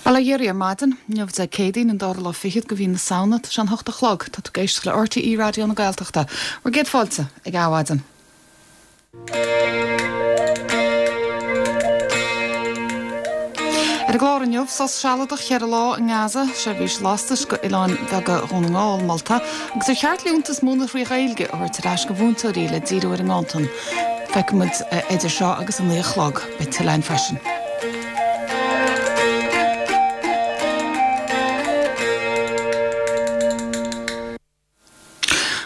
Bail ó Dhia oraibh ar maidin. Inniu Dé Céadaoin, an dara lá fichead de mhí na Samhna. Tá sé an hocht a chlog. Tá tú ag éisteacht le RTÉ Raidió na Gaeltachta. Bhur gcéad fáilte ag Adhmhaidin. Ar an gclár inniu, sos sealadach cheithre lá i nGaza, seirbhís lastais go oileáin bheaga Dhún na nGall molta, agus ar cheart liúntas múineadh thrí Ghaeilge a thabhairt ar ais go mhúinteoirí le díriú ar an nganntan. Feicfidh muid idir seo agus a naoi a chlog. Beidh tuilleadh againn freisin.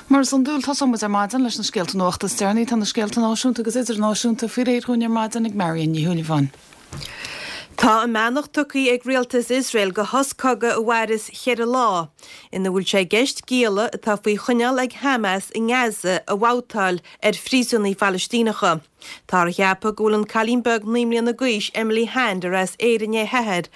Mar is iondúil, tosóidh muid ar maidin leis na scéalta nuachta is deireanaí. Tá na scéalta náisiúnta agus idirnáisiúnta faoi réir dhúinn ar maidin ag Marion Ní Shúilleabháin. Tá a mbeannacht tugtha ag rialtas Iosrael do shos cogaidh a mhairfeas cheithre lá, ina bhfuil sé i gceist gialla atá faoi choinneáil ag Hamas i nGaza a bhabhtáil ar phríosúnaigh Phalaistíneacha. Táthar a cheapadh go bhfuil an cailín beag 9 mbliana d'aois Emily Hand, ar as Éirinn a hathair,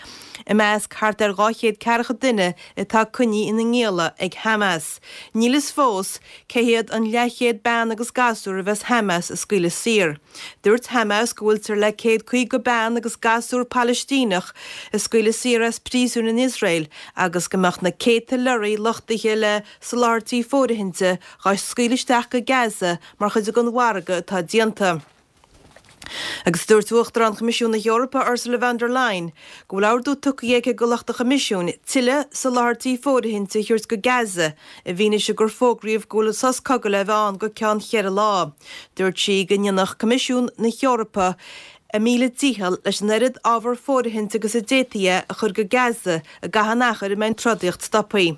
i measc thart ar 240 duine atá coinnithe ina ngialla ag Hamas. Níl fhios fós cé hiad an leathchéad bean agus gasúr a bheas Hamas a scaoileadh saor. Dúirt Hamas go bhfuiltear le 150 bean agus gasúr Palaistíneach a scaoileadh saor as príosúin in Iosrael agus go mbeadh na céadta leoraí luchtaithe le soláthairtí fóirithinte dhá scaoileadh isteach go Gaza mar chuid den mhargadh atá déanta. Agus dúirt Uachtarán Choimisiún na hEorpa Ursula von der Leyen go bhfuil ordú tugtha aici go lucht an Choimisiúin tuilleadh soláthairtí fóirithinte a thabhairt go Gaza i bhfianaise gur fógraíodh go bhfuil sos cogaidh le bheith ann go ceann cheithre lá. Dúirt sí go ndéanfadh Coimisiún na hEorpa a míle dícheall leis an oiread ábhar fóirithinte agus a d'fhéadfaí é a chur go Gaza i gcaitheamh an achair a mbeidh an trodaíocht stoptha.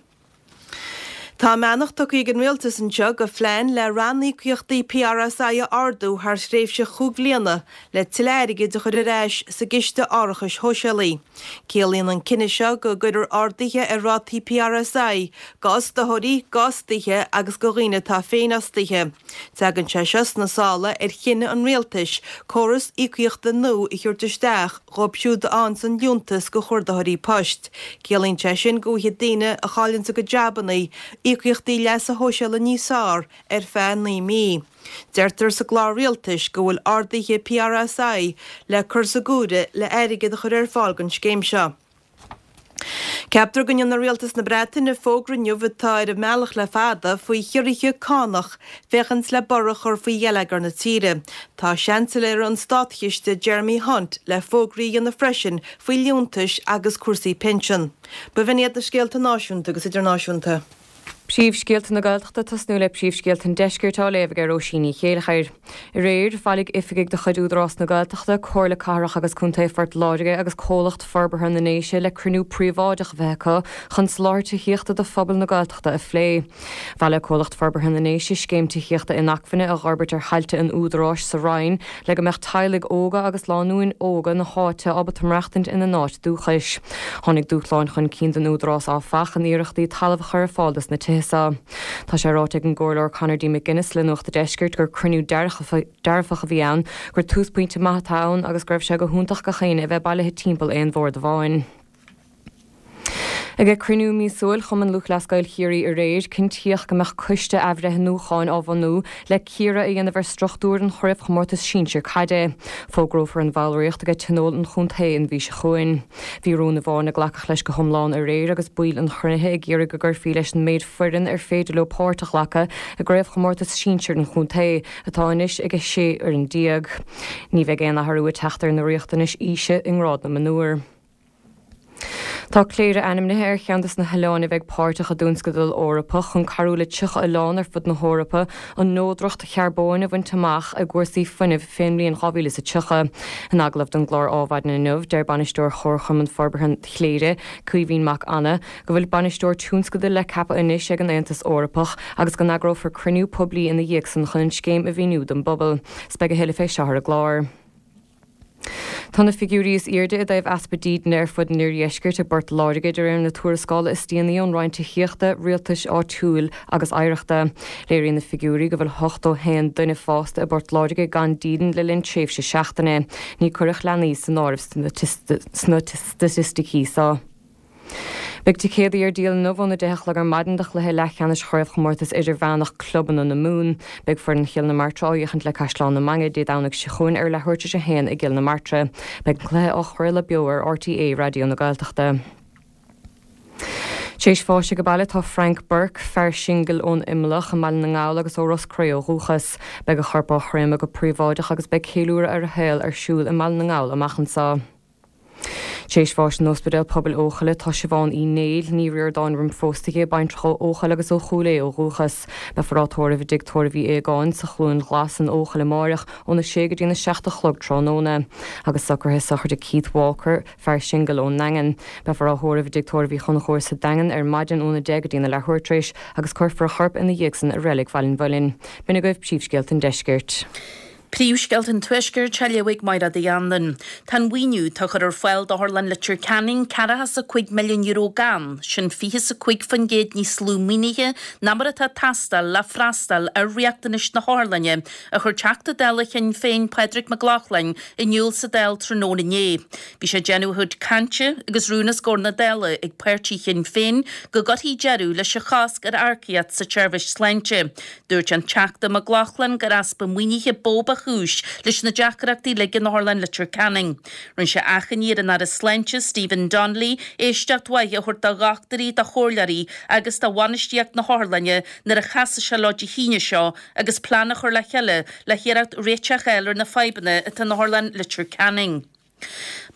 Tá a mbeannacht tugtha ag an Rialtas anseo go phlean le ranníocaíochtaí PRSI a ardú thar thréimhse chúig bhliana le tuilleadh airgid a chur ar ais sa gCiste Árachais Shóisialaigh. Ciallaíonn an cinneadh seo go gcuirfear arduithe ar rátaí PRSI d'fhostóirí, d'fhostaithe agus do dhaoine atá féinfhostaithe. Tagann sé seo sna sála ar chinneadh an Rialtais córas íocaíochta nua a thabhairt isteach dhóibh siúd a fhaigheanns an liúntas go chuardaitheoirí poist. Ciallaíonn sé sin go bhfaighidh daoine a chailleanns a gcuid jabanna íocaíochtaí leasa shóisialaigh níos fearr ar feadh 9 mí. Deirtear sa gclár rialtais go bhfuil arduithe PRSI le cur sa gcomhaireamh le airgead a chur ar fáil don scéim seo. Ceaptar go ndéanfaidh Rialtas na Breataine fógra inniu atá ar an mbealach le fada faoi chiorruithe cánach féachaint le borradh a chur faoi gheilleagar na tíre. Tá Seansailéir an Státchiste Jeremy Hunt le fógraí a dhéanamh freisin faoi liúntais agus cúrsaí pinsean. B'in iad na scéalta náisiúnta agus idirnáisiúnta. Príomhscéalta na Gaeltachta Tosnú le príomhscéalta an Deiscirt á léamh ag Róisín Ní Chéilleachair. Aréir, bhailigh oifigigh de chuid Údarás na Gaeltachta, Comhairle Cathrach agus Contae Phort Láirge agus Comhlacht Forbartha na nDéise le cruinniú príobháideach a bheith acu chun soláthar tithíochta do phobal na Gaeltachta a phlé. Mhol Comhlacht Forbartha na nDéise scéim tithíochta inacmhainne a dh'fhorbairt ar thailte an Údaráis sa Rinn le go mbeadh teaghlaigh óga agus lánúin óga na háite ábalta maireachtaint ina n-áit dúchais. Tháinig dúshláin chun cinn don Údarás áfach in iarrachtaí talamh a chur ar fáil dos na tithe seo. Tá sé ráite ag an gComhairleoir Conor D. McGuinness le Nuacht a' Deiscirt gur cruinniú dearfach a bhí ann, gur túsphointe maith atá ann agus go raibh sé go hiontach gach éinne a bheith bailithe timpeall aon bhord amháin. Ag cruinniú míosúil Chumann Lúthchleas Gael Chiarraí aréir, cinntíodh go mbeadh coiste athbhreithniúcháin á bhunú le cíoradh a dhéanamh ar struchtúr an chraobhchomórtais sinsir caide. Fógrófar an bhallraíocht ag tionól an chontae an mhí seo chugainn. Bhí rún amháin a glacadh leis go hiomlán aréir agus baill an chruinnithe ag iarraidh go gcuirfí leis an méid foireann ar féidir leo páirt a ghlacadh i gcraobhchomórtas sinsir an chontae, atá anois ag 16 fhoireann. Ní bheidh aon athrú ag teacht ar na riachtanais aoise i ngrád na mionúr. Tá Cléire ainmnithe ar cheann de na hoileáin a bheidh páirteach i dtionscadal Eorpach chun cabhrú le 30 oileán ar fud na hEorpa an neodracht charbóin a bhaint amach i gcúrsaí fuinnimh fén mbliain 2030. In agallamh don gclár Ádhmhaidin inniu, deir Bainisteoir Chomharchumann Forbartha Chléire, Caoimhín Mac Annaidh, go bhfuil bainisteoir tionscadail le ceapadh anois ag an Aontas Eorpach agus go n-eagrófar cruinniú poiblí ina dhiaidh san chun an scéim a mhíniú don bpobal. 'S beidh a thuilleadh fé seo ar an gclár. Tá na figiúirí is airde i dtaobh easpa dídine ar fud an Iardheiscirt i bPort Láirge de réir na tuarascála is déanaí ón Roinn Tithíochta, Rialtais Áitiúil agus Oidhreachta. Léiríonn na figiúirí go bhfuil 81 duine fásta i bPort Láirge gan dídean le linn tréimhse seachtaine. Ní cuireadh leanaí san áireamh sna staitisticí seo. Beidh ticéadaí ar díol inniu óna 10 a chlog ar maidin do chluiche leathcheannais Chraobhchomórtas Idirmheánach Clubanna na Mumhan. Beidh foireann Chill na Martra á fhiachaint le Caisleán na Mainge Dé Domhnaigh seo chugainn ar leathuair tar éis a haon i gCill na Martra. Beidh an cluiche á chraoladh beo ar RTÉ Raidió na Gaeltachta. Tar éis bháis age baile tá Frank Burke, fear singil ón Imleach i mBaile na nGall agus ó Ros Cré ó dhúchas. Beidh a chorp á chréamadh go príobháideach agus beidh ceiliúradh ar a shaol ar siúl i mBaile na nGall amach anseo. Tar éis bháis in Ospidéal Pobail Eochaille tá Siobhán Uí Néill, Ní Ríordáin roimh phósadh di, baintreach ó Eochaill agus ó Chúil Aodha ó dhúchas. Beifear á tórramh i dTigh Tórraimh Uí Aogáin sa Chluain Ghlas in Eochaill amáireach óna sé go dtína 7 a chlog tráthnóna. Agus socruithe sochraide Keith Walker, fear singil ón nDaingean. Beifear á thórramh i dTigh Tórraimh Uí Chonchúir sa Daingean ar maidin óna 10 go dtína leathuair tar éis agus cuirfear a chorp ina dhiaidh san i Reilig Bhaile an Mhuilinn. B'in agaibh príomhscéalta an deiscirt. Príomhscéalta an Tuaiscirt á léamh ag Mairéad Uí Anluain. Tá an mhaoiniú atá á chur ar fáil d'Otharlann Leitir Ceanainn ceathracha 's a 5 milliún euro gann, sin 25% níos lú maoinithe ná mar atá ag teastáil le freastal ar riachtanais na hotharlainne, a chuir Teachta Dála Shinn Féin Pádraig Mac Lochlainn in iúl sa Dáil tráthnóna inné. Bhí sé ag déanamh a chuid cainte agus rún os comhair na Dála ag páirtí Shinn Féin go gcuirfí deireadh leis an chosc ar earcaíocht sa tseirbhís sláinte. Dúirt an Teachta Mac Lochlainn gur easpa maoinithe ba mhó ba chúis leis na deacrachtaí uilig in Otharlann Leitir Ceanainn. Rinne sé achainí ar an Aire Sláinte, Stephen Donnelly, éisteacht mhaith a thabhairt do dhochtúirí, do chomhairleoirí agus do bhainistíocht na hotharlainne nuair a chasfaidh sé leo Dé hAoine seo agus plean a chur le chéile le hiarracht réiteach a fháil ar na fadhbanna atá in Otharlann Leitir Ceanainn.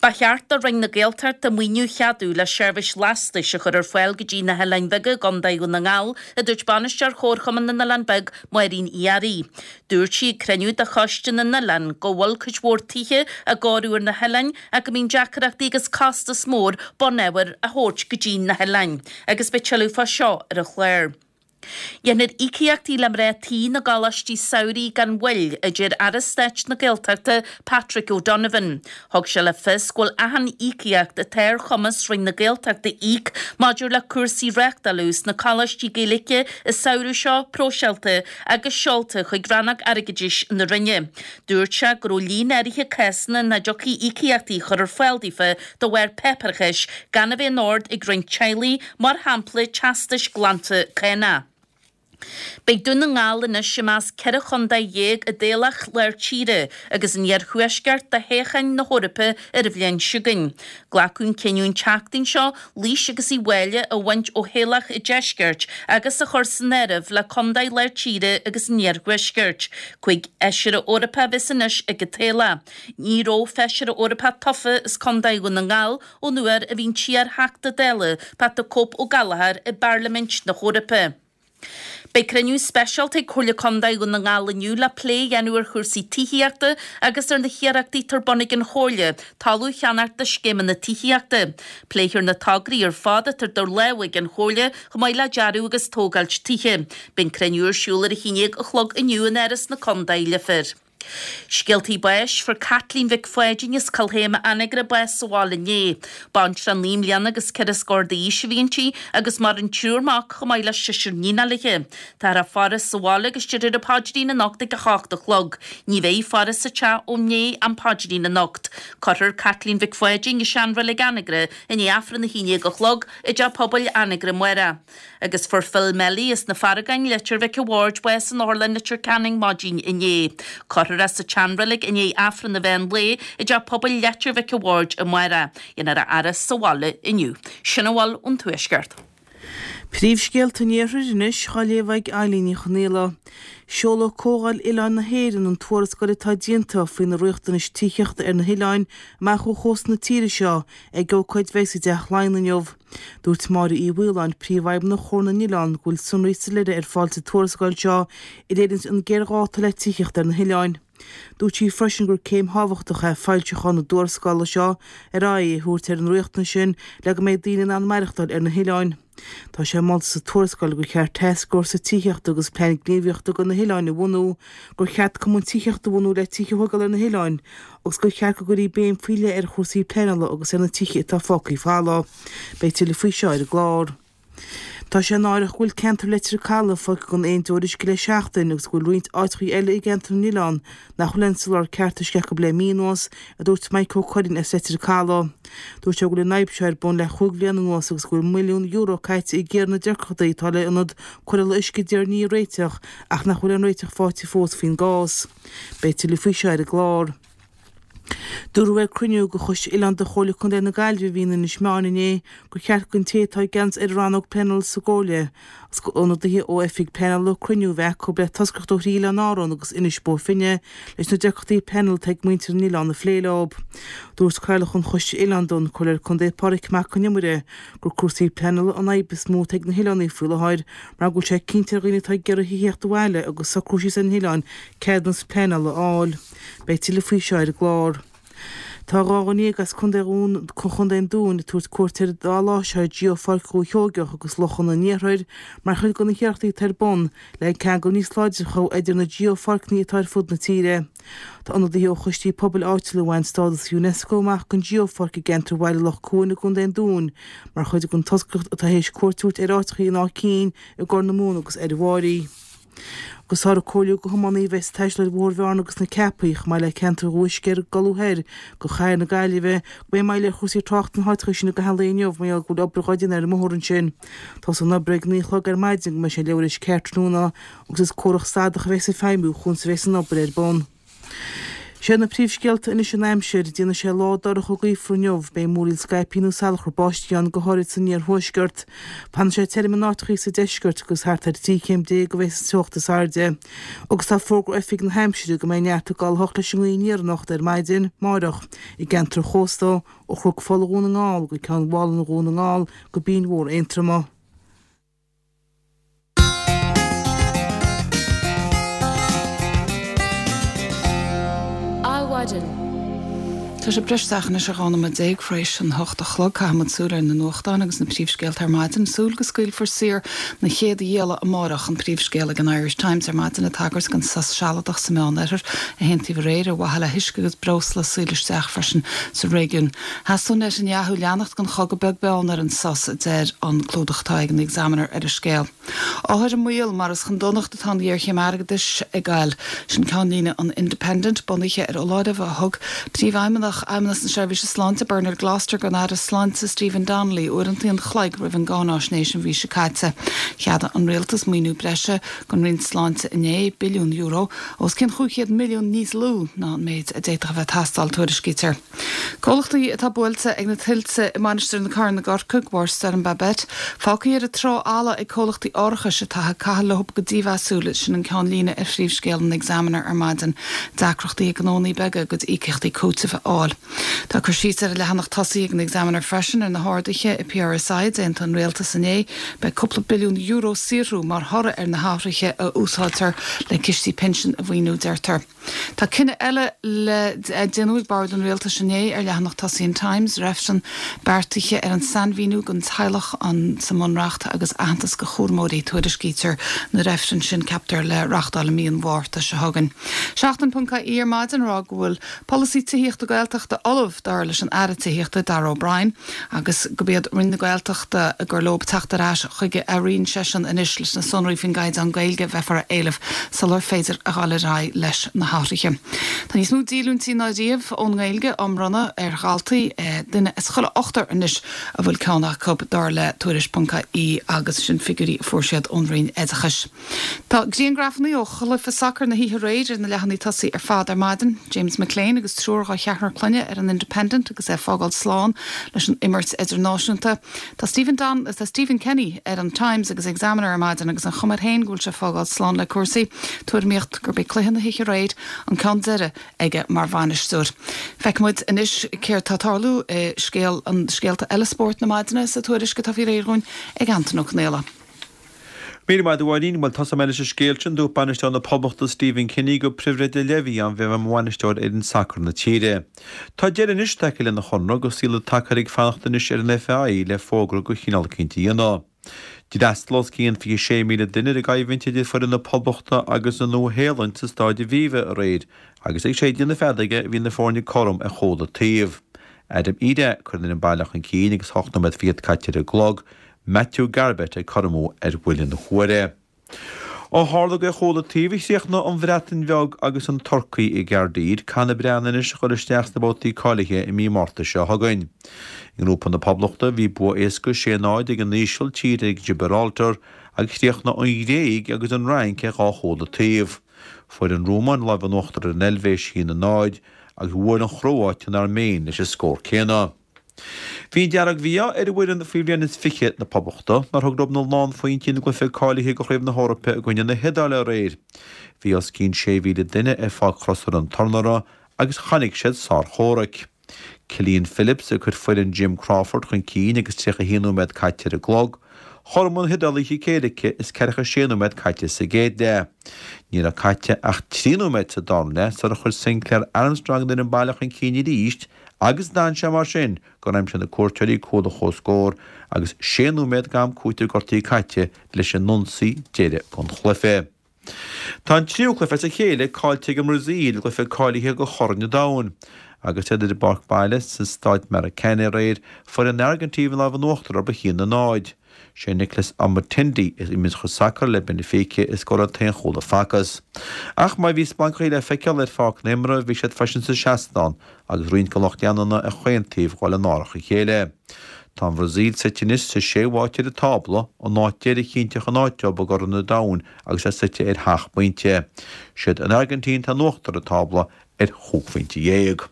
Ba cheart do Roinn na Gaeltachta maoiniú a cheadú le seirbhís lastais a chur ar fáil go dtí na hoileáin bheaga i gContae Dhún na nGall, a dúirt Bainisteoir Chomharchumann na nOileán Beag, Máirín Uí Fhearraigh. Dúirt sí ag cruinniú de Choiste na nOileán go bhfuil cuid mhór tithe á gcóiriú ar na hoileáin ach go mbíonn deacrachtaí agus costas mór bunábhar a thabhairt go dtí na hoileáin agus beidh tuilleadh fá seo ar an chlár. Dhéanfar íocaíochtaí le mná tí na gcoláistí samhraidh gan mhoill, a deir Aire Stáit na Gaeltachta Patrick O'Donovan. Thug sé le fios go bhfuil achan íocaíocht atá ar chumas Roinn na Gaeltachta íoc maidir le cúrsaí reáchtáladh sna coláistí Gaeilge an samhradh seo próiseáilte agus seolta chuig Rannóg Airgeadais na Roinne. Dúirt sé go raibh líon áirithe cásanna nach dtiocfaí íocaíochtaí a chur ar fáil daofa de bharr páipéarachais gan a bheith in ord ag roinnt teaghlaigh, mar shampla teastais glanta cánach. Beidh Dún na nGall anois i measc 14 chontae i dtoghlach Lár Tíre agus an Iarthuaiscirt do thoghcháin na hEorpa ar an bhliain seo chugainn. Glacadh an cinneadh an tseachtain seo Laois agus Uíbh Fhailí a bhaint ó thoghlach an Deiscirt agus a chur san áireamh le contaetha Lár Tíre agus an Iarthuaiscirt. 5 fheisire Eorpach a bheas anois ag an toghlach. Ní raibh feisire Eorpach tofa as Contae Dhún na nGall ón uair a bhí an t-iar-Theachta Dála Pat the Cope Ó Gallchóir i bPairlimint na hEorpa. Beidh cruinniú speisialta ag Comhairle Contae Dhún na nGall inniu le plé a dhéanamh ar chúrsaí tithíochta agus ar na hiarrachtaí atá ar bun ag an Chomhairle talamh a cheannacht do scéimeanna tithíochta. Pléifear na tograí ar fad atá idir lámha ag an Chomhairle chomh maith le dearadh agus tógáilt tithe. Beidh an cruinniú ar siúl ar a haon déag a chlog inniu in Áras na Contae, Leifear. Scéaltaí báis, Fuair Caitlín Mhic Pháidín as Cill Théama, Anagaire bás sa bhaile inné. Baintreach naoi mbliana agus ceithre scór d'aois a bhí inti agus maireann triúr mac chomh maith le seisear níonacha léi. Táthar á faire sa bhaile agus déarfar an paidrín anocht ag 8 a chlog. Ní bheidh faire sa teach ó ndiaidh an phaidrín anocht. Cuirfear Caitlín Mhic Pháidín i seanreilig Anagaire i ndiaidh Aifreann 11 a chlog i dTeach Pobail Anagaire amárach. Agus fuair Phil Melly as na Farragáin, Leitir Mhic a' Bhaird, bás in Otharlann Leitir Ceanainn maidin inné. Cuirfear é sa tseanreilig i ndiaidh Aifreann an mheán lae i dTeach Pobail Leitir Mhic a' Bhaird amárach. Dhéanfar a fhaire sa bhaile inniu. Sin a bhfuil ón Tuaisceart. Príomhscéalta an Iarthair anois á léamh ag Eilín Ní Chonaola. Seolfaidh Comhdháil Oileáin na hÉireann an tuarascáil atá déanta faoi na riachtanais tithíochta ar na hoileáin amach ó chósta na tíre seo ag ócáid a bheidh i dTeach Laighean inniu. Dúirt Máire Uí Mhaoláin, Príomhfheidhmeannach Chomhar na nOileán, go bhfuil sonraí soiléire ar fáil sa tuarascáil seo a léiríonns an géarghá atá le tithíocht ar na hoileáin. Dúirt sí freisin gur céim thábhachtach é foilseachán na dtuarascála seo ar aghaidh a thabhairt ar an riachtanas sin le go mbeidh daoine in ann maireachtáil ar na hoileáin. Tá sé molta sa tuarascáil gur cheart tascfhórsa tithíochta agus plean gníomhaíochta do na hoileáin a bhunú, gur cheart cumann tithíochta a bhunú le tithe a thógáil ar na hoileáin agus gur cheart go gcuirfí béim faoi leith ar chúrsaí pleanála agus ar na tithe atá fágtha folamh. Beidh tuilleadh faoi seo ar an gclár. Tá sé náireach go bhfuil ceantar Leitir Caladh fágtha gan aon deoir uisce le seachtain agus go bhfuil roinnt áiteachaí eile i gceantar na n-oileán nach bhfuil aon soláthar ceart uisce acu le mí anuas, a dúirt Mike Ó Curraoin as Leitir Caladh. Dúirt sé go bhfuil an fhadhb seo ar bun le chúig bhliana anuas agus go bhfuil €1 milliún caite ag iarraidh na deacrachtaí atá le ionad cóireála uisce i dTír an Fhia a réiteach ach nach bhfuil aon réiteach faighte fós faoin gcás. Beidh tuilleadh faoi seo ar an gclár. Dúradh ag cruinniú de Choiste Oileán de Chomhairle Contae na Gaillimhe a bhí in Inis Meáin inné gur cheart don té atá i gceannas ar an rannóg pleanála sa gComhairle agus d'ionadaithe ó oifig pleanála cruinniú a bheith acu le toscaireacht ó thrí oileán Árann agus Inis Bó Finne leis na deacrachtaí pleanála atá ag muintir na n-oileán a phlé leo. Dúirt Cathaoirleach an Choiste Oileán don Comhairleoir Contae Pádraig Mac Con Iomaire gur cúrsaí pleanála an fhadhb is mó atá ag na hoileánaigh faoi láthair mar go bhfuil sé cinnte ar dhaoine atá ag iarraidh tithíocht abhaile agus socrú síos ar na hoileáin ceadúnas pleanála a fháil. Beidh tuilleadh faoi seo ar an gclár. Tá 12 dhuine as Contae Chontae an Dúin ag tabhairt cuairt ar an dá lá seo ar Geopháirc Dhúiche Sheoigeach agus Lochanna an Iarthair mar chuid de na hiarrachtaí atá ar bun le ceangal níos láidre a chothú idir na geopháirceanna atá ar fud na tíre. Tá ionadaithe ó choistí pobail áitiúla a bhain stádas Unesco amach don Geopháirc i gceantar Bhaile Loch Cuan i gContae an Dúin mar chuid den toscaireacht atá théis cuairt a thabhairt ar áiteachaí in Áth Cinn i gCorr na Móna agus ar an Bháirí. Agus táthar ag comhairliú do thiománaí a bheas ag taisteal ar Bhóthar Bhearna agus na Ceapaí, chomh maith le ceantar Dhumha Uisce ar ag dul thoir go Chathair na Gaillimhe, go mbeidh moill ar chúrsaí tráchta sna háiteacha sin i gcaitheamh an lae inniu mar gheall go bhfuil obair dhá déanamh ar an mbóthar ansin. Tosóidh an obair ag 9 a chlog ar maidin go mbeidh sé leathuair théis 4 tráthnóna agus is córas stadach a bheas ag feidhmiú chuan is a bheas an obair ar bun. Sé na príomhscéalta anois an aimsir, déanfaidh sé lá dorcha gaofar inniu, beidh múraíl scaipthe nó salachar báistí ann, go háirid san iarthuaisceart. Fanfaidh sé tirim in áiteachaí sa deisceart agus thart ar 13 chéim a bheidh an teocht is airde. Agus tá fógra ó Oifig na hAimsire go mbeidh neart ag gabháil a hocht leis an ngaoth aniar anocht ar maidin, máireach, i gceantair chósta, ó Chnoc Fola Dhún na nGall go Ceann Mhálanna Dhún na nGall go Binn Mhór Aontroma. Adhmhaidin. Tá sé breis isteach anois ar 12 nóiméad tar éis an hocht a chlog. Caithfidh muid súil ar na nuachtáin agus na príomhscéalta ar maidin. Súil go scaoilfear saor na chéad ghialla amárach, an príomhscéal ag an Irish Times ar maidin, ag tagairt don sos sealadach sa Meánoirthear a haontaíodh aréir ar mhaithe le huisce agus breosla a scaoileadh isteach freisin sa réigiún. Theastaigh ó Netanyahu leanacht den chogadh beag beann ar an sos, a deir an clúdach atá ag an Examiner ar an scéal. Othair i mbaol mar is chun donachta atá an ghéarchéim airgeadais ag goil. Sin ceannlíne an Independent, bunaithe ar fholáireamh a thug Príomhfheidhmeannach Fheidhmeannas na Seirbhíse Sláinte, Bernard Gloster, don Aire Sláinte, Stephen Donnelly, uaireanta an chloig roimh an gcáináisnéis an mhí seo caite. Cheadaigh an Rialtas maoiniú breise don Roinn Sláinte inné, billiún euro, os cionn 500 milliún níos lú ná an méid a d'fhéadfadh a bheith ag teastáil, tuairiscítear. Comhlachtaí atá buailte ag na tuilte i Mainistir na Corann i gCorcaigh de bharr Stoirm Babet, fágtha ar an trá fhalla ag comhlachtaí árachais atá ag caitheamh leo go dímheasúil, sin an ceannlíne ar phríomhscéal an Examiner ar maidin. Deacrachtaí ag gnónnaí beaga a gcuid íocaíochtaí cúitimh a fháil. Tá cur síos ar an leathanach tosaigh ag an Examiner freisin ar na harduithe i PRSI a d'aontaigh an rialtas inné. Beidh cúpla billiún euro saothrú mar thoradh ar na hathruithe a úsáidtear le cistí pinsin a mhaoiniú, deirtear. Tá cinneadh eile le déanamh ag Bord an Rialtais inné ar leathanach tosaigh an Times, reifreann beartaithe ar an sainmhíniú den teaghlach sa mBunreacht agus aitheantas do chúramóirí. Tuairiscítear na reifrinn sin, ceaptar, le reáchtáil i mí an Mhárta seo chugainn. Seachtain.ie ar maidin ag rá go bhfuil polasaí tithíochta Gaeltachta ullamh, dar leis an Aire Tithíochta Darragh O'Brien. agus gurb iad Roinn na Gaeltachta gur leo teacht ar ais chuige a roinn seisean anois leis na sonraí faoin gcaighdeán Gaeilge a bheifear a éileamh sular féidir a dhul ar aghaidh leis na hathruithe. Tá níos mó díolúintí ná riamh ón nGaeilge á mbronnadh ar dhaltaí, duine as chuile ochtar anois a bhfuil ceann acu, dar le Tuairisc.ie agus sin figiúirí a fuair siad ón Roinn Oideachais. Tá griangrafanna ó chluiche sacair na hoíche aréir ar na leathanaigh tosaigh ar fad ar maidin. James McClean agus triúr dá cheathrar clainne ar an Independent agus é ag fágáil slán leis an imirt idirnáisiúnta. Tá Stephen Don, tá Stephen Kenny ar an Times agus Examiner ar maidin agus an chuma air féin go bhfuil sé ag fágáil slán le cúrsaí. Tuairimíocht gurb é cluiche na hoíche aréir an ceann deiridh aige mar bhainisteoir. Feicfidh muid anois céard tá ag tarlú i scéal, scéalta eile spóirt na maidine sa tuairisc atá faoi réir dhúinn ag Antain Ó Conaola. Míle maith agat a Mháirín. Bhuel, tosóidh mé leis an scéal sin. Dúirt bainisteoir na Poblachta Stephen Kenny gur pribhléid ar leith a bhí ann bheith mar bhainisteoir ar fhoireann sacair na tíre. Tá deireadh anois tagtha lena chonradh agus níl an tsacar ag fanacht anois ar an FAI le fógra de chineál eicínt a dhéanamh. D'fhreastail os cionn 26,000 duine ar an gcoimhlint idir foireann na Poblachta agus an Nua-Shéalainn sa Stáid Aviva aréir agus ag séideadh na feadóige bhí na foirne cothrom ar chuile taobh. Adam Idah ag cur an fhoireann baile chun cinn agus 8 nóiméad fichead caite ar an gclog. Matthew Garbett ag cur amú ar bhuille na huaire. Ó tharla gur ar chúl an taobh a chríochnaigh an Bhreatain Bheag agus an Turcaí i gCaerdydd, caithfidh na Breatnaigh anois a dhul isteach sna babhtaí cáilithe i mí Márta seo chugainn. I ngrúpa na Poblachta, bhí bua éasca 6, 0 ag an Ísiltír ar Ghibraltar agus chríochnaigh an Ghréig agus an Fhrainc ar dhá chúl an taobh. Fuair an Rómáin lámh in uachtar ar an Eilvéis 1, 0 agus bhuail an Chróáit an Airméin leis an scór céanna. Bhí an dearg-mhí-ádh ar fhoireann faoi bhliain is 20 na Poblachta nár thug leo na lánphointí ina gcluiche cáilithe do Chraobh na hEorpa i gcoinne na hIodáile aréir. Bhí os cionn 6,000 duine ar Pháirc Chrosaire an Tornara agus chonaic siad sárchomhrac. Killian Phillips ag cur foireann Jim Crawford chun cinn agus 31 nóiméad caite ar an gclog. Chothromaigh na hIodálaigh a chic éirice is 46 nóiméad caite sa gcéad leath. Ní raibh caite ach 3 nóiméad sa darna leath sular chuir Sinclair Armstrong an fhoireann baile chun cinn arís Agus d'fhan sé mar sin gur aimsigh na cuairteoirí cúl an chomhscóir agus sé nóiméad d'am cúitimh gortaithe caite leis an ionsaí deiridh den chluiche. Tá an tríú cluiche as a chéile caillte ag an mBrasaíl i gcluiche cáilithe do Chorn an Domhain. Agus iad ar a bpáirc baile sa Staid Maracanã aréir, fuair an Airgintín an lámh in uachtar orthu 1-0. Sé Nicolas Otamendi, a imríonn sacar le Benfica, a scóráil an t-aon chúl a facthas. Ach má bhí splancachaí le feiceáil ar pháirc na himeartha, bhí siad freisin sa seastán agus roinnt den lucht leanúna ar chaon taobh ag dul in árach a chéile. Tá an Bhrasaíl suite anois sa séú háit ar an tábla, an áit deiridh a chinnteodh an áit dóibh i gCorn an Domhain agus é suite ar sheacht bpointe. Siad an Airgintín atá in uachtar an tábla ar chúig phointe dhéag.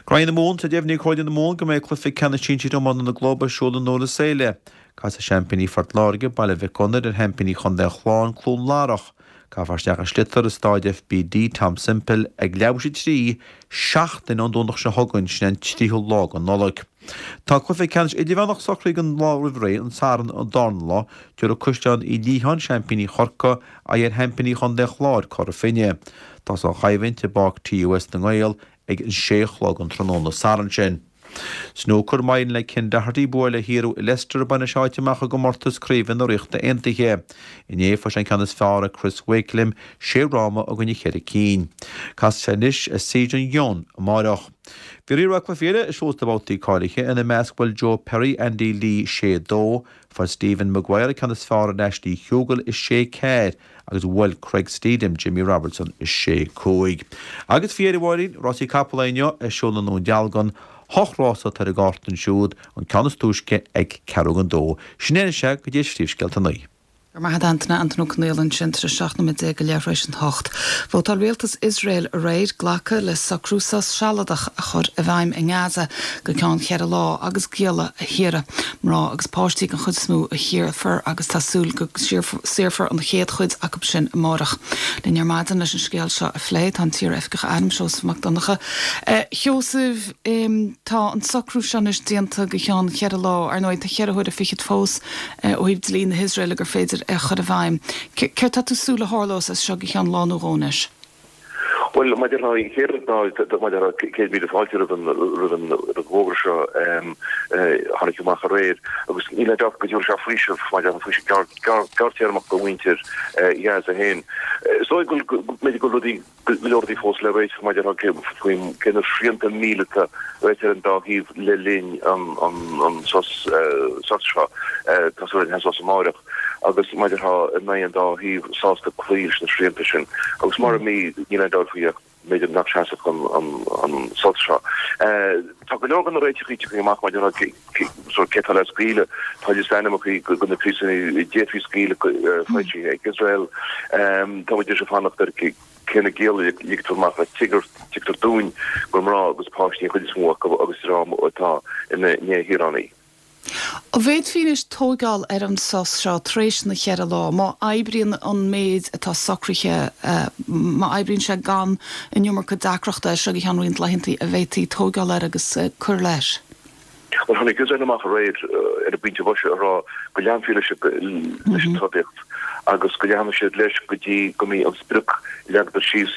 Graí na Mumhan, Tá deimhnithe ag Comhairle na Mumhan go mbeidh cluiche ceannais sinsir iomána na gclub ar siúl i nDurlas Éile. Casfaidh seaimpíní Phort Láirge, Baile Mhic Gonair, ar sheaimpíní Chontae an Chláir, Cluain Larach. Caithfear isteach an sliotar i Stáid FBD Tom Semple ag leathuair tar éis a 3, seachtain ón Domhnach seo chugainn, sin é an 3ú lá de Nollaig. Tá cluiche ceannais idirmheánach socraithe don lá roimh ré, an Satharn an darna lá, tabharfaidh Caisleán Uí Liatháin, seaimpíní Chorcaí, aghaidh ar sheaimpíní Chontae an Chláir, Cora Finne. Tosóidh an choimhlint i bPáirc TUS na nGael ag an sé a chlog an tráthnóna Sathairn sin. Snúcar, Má éiríonn le Ken Doherty bua le shaothrú i Leicester bainfidh sé áit amach i gcomórtas craoibhe na Ríochta Aontaithe. Inné fuair sé an ceann is fearr ar Chris Wakelin, sé fhráma i gcoinne cheithre cinn. Casfaidh sé anois ar Se Jong Hyun amáireach. Bhí roinnt mhaith cluichí eile ar siúl sna babhtaí cáilithe, ina measc bhuail Joe Perry Andy Lee 6, 2, fuair Stephen Maguire an ceann is fearr ar Ashley Hugill i 6, 4 agus bhuail Craig Steedham Jimmy Robertson i 6, 5. Agus faoi dheireadh a Mháirín, rásaí capall inniu ar siúl i nDún Dealgan, hocht rása atá ar an gcárta ansiúd, an ceann is túisce ag ceathrú don dó. Sin é anois é go dtí phríomhscéalta a naoi. Go raibh maith agat Antaine, Antaine Ó Conaola ansin tar éis 17 nóiméad go leath tar éis an hocht. Vótáil rialtas Iosrael aréir glacadh le socrú sos sealadach a chur i bhfeidhm i nGaza go ceann cheithre lá agus gialla a shaoradh. Mná agus páistí den chuid is mó a shaorfar agus tá súil go saorfar an chéad chuid acu sin amárach. Linn ar maidin leis an scéal seo a phlé tá an t-iar-oifigeach airm Seosamh Mac Donncha. A Sheosaimh, tá an socrú seo anois déanta go ceann cheithre lá. Ar ndóigh tá cheithre huaire fichead fós ó thaobh dlí na hIosraeile gur féidir é a chur i bhfeidhm. Céard tá tú súil a tharlós as seo go ceann lá nó dhó anois? Bhuel, maidir le an chéad rud ná, maidir le 100,000 fáilte roimh an roimh an bhfógra seo a tháinig amach aréir agus níl aon dabht go dtabharfaidh sé faoiseamh maidir le faoiseamh gearrthéarmach do mhuintir Ghaza féin. Is dóigh go b'fhéidir go bhfuil rudaí go leor rudaí fós le réiteach maidir le faoi cé na srianta míleata a bheidh ar an dá thaobh le linn an sos seo. Tá súil againn sos amáireach agus maidir le an mbeidh an dá thaobh sásta cloí leis na srianta sin agus mura mbeidh níl aon dabht faoi ach b'fhéidir nach seasfadh an sos seo. Tá go leor de na réiteachaí tagtha amach maidir le cé atá le scaoileadh. Tá liosta ainmneacha de na príosúnaigh a d'fhéadfaí scaoileadh foilsithe ag Iosrael. Tá muid anois ag fanacht ar cé na gialla a ligtear amach. Tuigtear dúinn gur mná agus páistí an chuid is mó acu agus dream atá ina ndéshaoránaigh. An bhféadfaí anois tóigeáil ar an sos seo tar éis na cheithre lá, má oibríonn an méid atá socraithe, má oibríonn sé gan an iomarca deacrachta as seo go ceann roinnt laethanta, an bhféadfaí tóigeáil air agus cur leis? Bhuel, tháinig Iosrael amach aréir ar an bpointe boise ag rá go leanfaí leis an trodaíocht agus go leanfaidh siad leis go dtí go mbeidh an sprioc a leagadar síos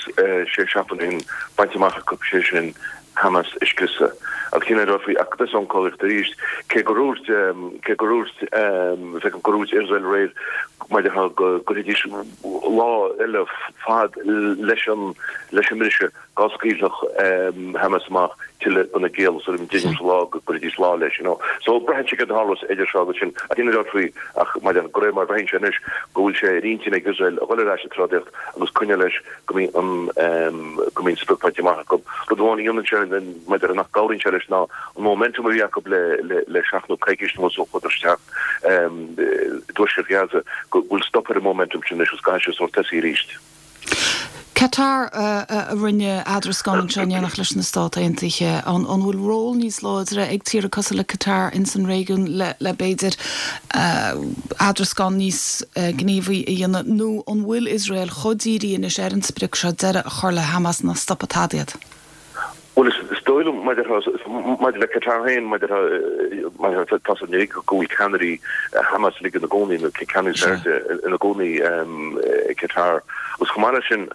sé seachtain ó shin bainte amach acu, sé sin. Hamas a scriosadh. Agus níl aon dabht faoi ach beidh an chogaíocht arís, cé gur dhúirt, cé gur dhúirt, feicim gur dhúirt Iosrael aréir maidir le go gcuirfidís lá eile fad leis an, leis an mbriseadh dá scaoilfeadh Hamas amach tuilleadh de na gialla so deichniúr sa lá go gcuirfidís lá leis, you know. So braitheann sé céard a tharlós idir seo agus sin ach níl aon dabht faoi ach maidir de réir mar a bhreathnaíonn sé anois go bhfuil sé ar intinn ag Iosrael a dhul ar ais sa trodaíocht agus coinneáil leis go mbíonn an go mbíonn sprioc bainte amach acu. Rud amháin a dhéanann sé maidir nach gcabhraíonn sé leis ná an momentum a bhí acu le le le seachtain nó coicís anuas ó chuadar isteach i dtuaisceart Ghaza go bhfuil stop ar an momentum sin anois agus caithfidh sé sórt tosaí arís. Qatar a rinne eadrascán anseo in éineacht leis na Stát Aontaithe. An bhfuil ról níos láidre ag tíortha cosúil le Qatar ins an réigiún le le b'fhéidir eadrascán níos gníomhaí a dhéanamh nó an bhfuil Iosrael chomh dírithe anois ar an sprioc seo deireadh a chur le Hamas nach stopfaidh tada iad? Bhuel, is dóigh liom, maidir maidir le Qatar féin, maidir maidir tá a fhios againn go bhfuil ceannairí Hamas uilig ina gcónaí, nó ceannairí is airde ina gcónaí i Qatar. Agus chomh maith leis sin,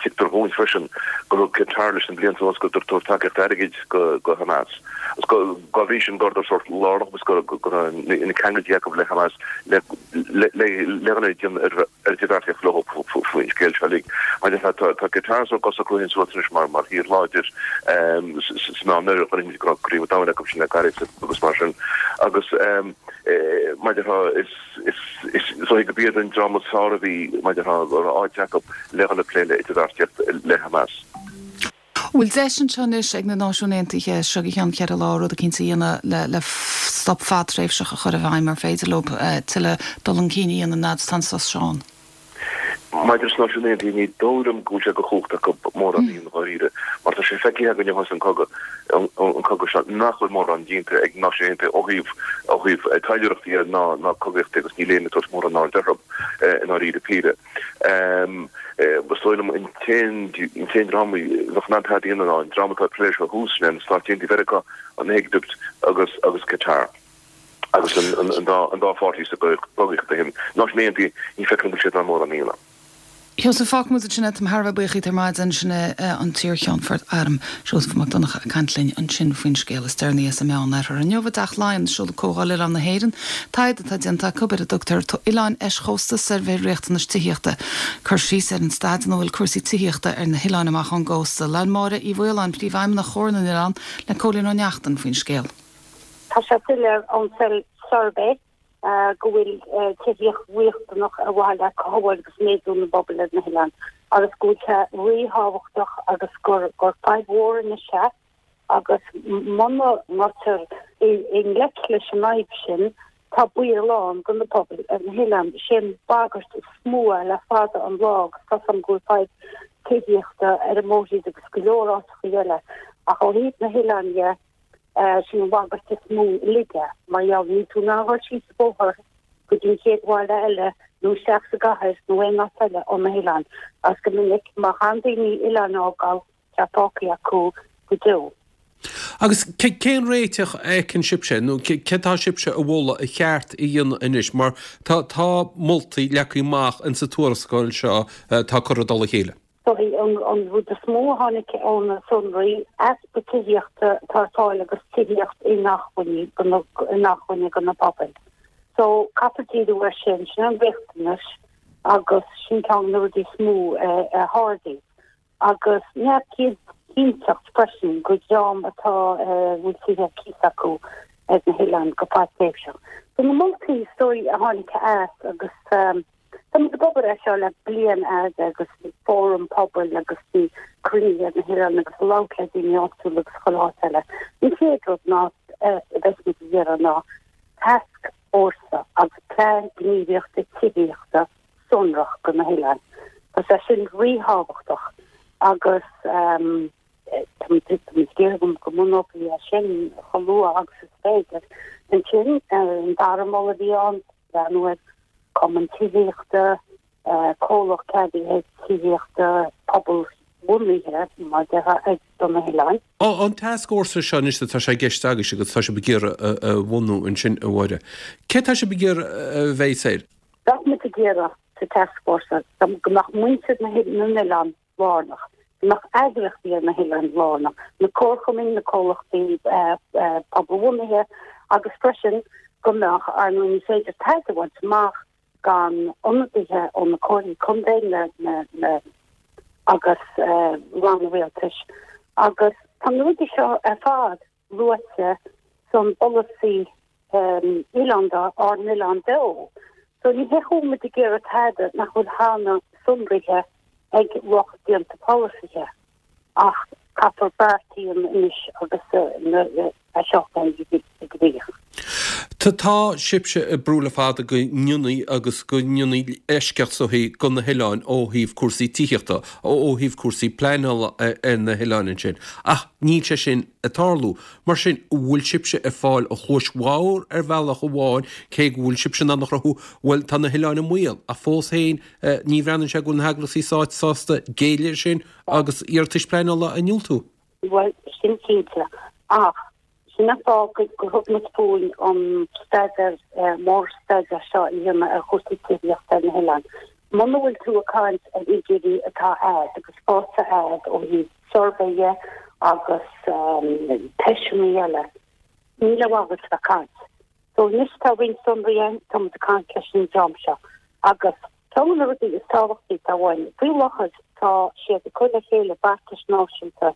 tuigtear dhúinn freisin go raibh Qatar leis na blianta anuas ag tabhairt tacaíocht airgid go go Hamas. Agus go dá bhrí sin go rabhadar sórt lárnach agus go go raibh na ceangailtí acu le Hamas le le le le le déanamh ar idirbheartaíocht leo faoin scéal seo uilig. Mar tá tá Qatar sórt ag socrú féin suas anois mar mar thír láidir sa Meánoirthear, chonaic muid go raibh Craobh an Domhain acu sin le gairid agus mar sin. Agus mar a déarfá is is is dóigh gurb iad an dream is fearr a bhí mar a déarfá go raibh áit acu le dhul ag plé le idirbheartaíocht le Hamas. Bhfuil deis anseo anois ag na Náisiúin Aontaithe seo go ceann cheithre lá rud eicínt a dhéanamh le le stop fadtréimhseach a chur i bhfeidhm? Ar féidir leo tuilleadh dul chun cinn a dhéanamh fhad is atá an sos seo ann? Maidir leis na Náisiúin Aontaithe, ní dóigh liom go bhfuil sé de chumhacht acu mórán a dhéanamh dháiríre, mar tá sé feicthe againn ó thosaigh an cogadh, an cogadh seo, nach bhfuil mórán déanta ag na Náisiúin Aontaithe ó thaobh ó thaobh taidhleoireachta dhe ná ná cogaíochta agus níl éinne ag tabhairt mórán aird orthu i ndáiríre píre. Is dóigh liom an t-aon dream a bheadh in ann tada a dhéanamh ná an dream atá ag plé seo thuas, sin é na Stáit Aontaithe Mheiriceá, an Éigipt agus agus Qatar agus an dá pháirtí sa gcogaíocht a shin. Náisiúin Aontaithe, ní feicim go bhfuil siad in ann mórán a dhéanamh. Sheosaimh, fágfaidh muid ansin é. Táim thar a bheith buíoch díot ar maidin. Sin é an t-iar-Cheannfort Airm, Seosamh Mac Donncha, ag caint linn ansin faoin scéal is deireanaí as an Meánoirthear. Inniu i dTeach Laighean, seoladh Comhdháil Oileán na hÉireann, taighde atá déanta acu ar a dtugtar Oileáin Eischósta, Suirbhé Riachtanais Tithíochta. Cur síos ar an staid ina bhfuil cúrsaí tithíochta ar na hoileáin amach ón gcósta. Labhair Máire Uí Mhaoláin, Príomhfheidhmeannach Chomhar na nOileán, le Cóilín Ó Neachtain faoin scéal. Tá sé soiléir ón suirbhé go bhfuil tithíocht riachtanach ar mhaithe le cothabháil agus méadú na bpobal ar na hoileáin agus go bhfuil sé ríthábhachtach agus gur gur fadhb mhór anois é agus muna ngabhtar i ngleic leis an fhadhb sin tá baol ann do na pobail ar na hoileáin. Is é an bhagairt is mó é le fada an lá agus tá 's agam go bhfuil fadhb tithíochta ar an mórthír agus go leor áiteacha eile ach ó thaobh na hoileáin dhe Sin an bhagairt is mó uilig é, mar gheall níl tú in ann a dhul síos an bóthar go dtí an chéad bhaile eile nó isteach sa gcathair nó aon áit eile ó na hoileáin. Agus go minic, má chaitheann daoine oileán a fhágáil, tá fágtha acu go deo. Agus cén réiteach a fheiceann sibhse, nó céard atá sibhse a mholadh a cheart a dhéanamh anois, mar tá moltaí leagtha amach insa tuarascáil seo atá curtha i dtoll a chéile? An rud is mó a tháinig ó na sonraí, easpa tithíochta atá ar fáil agus tithíocht inacmhainne do na pobail. So, caithfear díriú air sin, sin an riachtanas agus sin ceann de na rudaí is mó a ardaíodh. Agus neamhchinnteacht freisin do dhream atá, a bhfuil tithe ar cíos acu ar na hoileáin go fadtréimhseach. So na moltaí is dóigh a tháinig as agus, Tá muid ag obair air seo le bliain fhada agus bhí fóram pobail agus bhí cruinnithe ar na hoileáin agus ag labhairt le daoine áitiúla agus chuile áit eile. An chéad rud ná a bheas muid ag iarraidh ná tascfhórsa agus plean gníomhaíochta tithíochta sonrach do na hoileáin. Tá sé sin ríthábhachtach agus tá muid ag iarraidh go mbunófaí é sin chomh luath agus is féidir. Ansin, an dara moladh a bhí ann, breathnú ar Cumann Tithíochta, comhlacht ceadaithe tithíochta pobalbhunaithe, mar a déarfá, do na hoileáin. An tascfhórsa seo anois atá sé i gceist agaibhse agus atá sibh ag iarraidh a bhunú ansin, a Mháire, cé atá sibh ag iarraidh a bheidh air? Bheadh muid ag iarraidh sa tascfhórsa go mbeadh muintir na n-oileán lárnach. Go mbeadh eagraíochtaí ar na hoileáin lárnach, na comharchumainn, na comhlachtaí pobalbhunaithe agus freisin go mbeadh, ar ndóigh ní féidir tada a bhaint amach gan ionadaithe ó na comhairlí contae na, na, agus ranna rialtais agus tá na rudaí seo ar fad luaite san bpolasaí oileánda, Ár nOileán Beo. So ní hé go bhfuil muid ag iarraidh tada nach bhfuil cheana sonraithe ag lucht déanta polasaithe ach caithfear beart a dhéanamh anois agus é seo a chur i gcrích. Tá sibhse ag brú le fada go ndéanfaí agus go ndéanfaí eisceacht is dóichí do na hoileáin ó thaobh cúrsaí tithíochta, ó thaobh cúrsaí pleanála ar na hoileáin ansin ach níl sé sin ag tarlú. Mar sin, an bhfuil sibhse ag fáil an chluais bhodhar ar bhealach amháin, cé go bhfuil sibhse in ann a chruthú, bhuel, tá na hoileáin i mbaol, ach fós féin, ní bhreathnaíonn sé go bhfuil na heagraíochtaí stáit sásta géilleadh air sin agus iarratais pleanála a ndiúltú. Bhuel, sin cinnte. Ach sin an fáth gur thug muid fúinn an staidéar, mórstaidéar seo a dhéanamh ar chúrsaí tithíochta ar na hoileáin. Muna bhfuil tú ag caint ar fhigiúirí atá a'd agus faighte a'd ó thaobh suirbhé dhe agus teisteanna eile, níl aon mhaith agat bheith ag caint. So anois tá roinnt sonraí ann, tá muid ag caint leis an dream seo agus ceann de na rudaí is tábhachtaí atá uainn, faoi láthair tá siad ag cur le chéile beartais náisiúnta,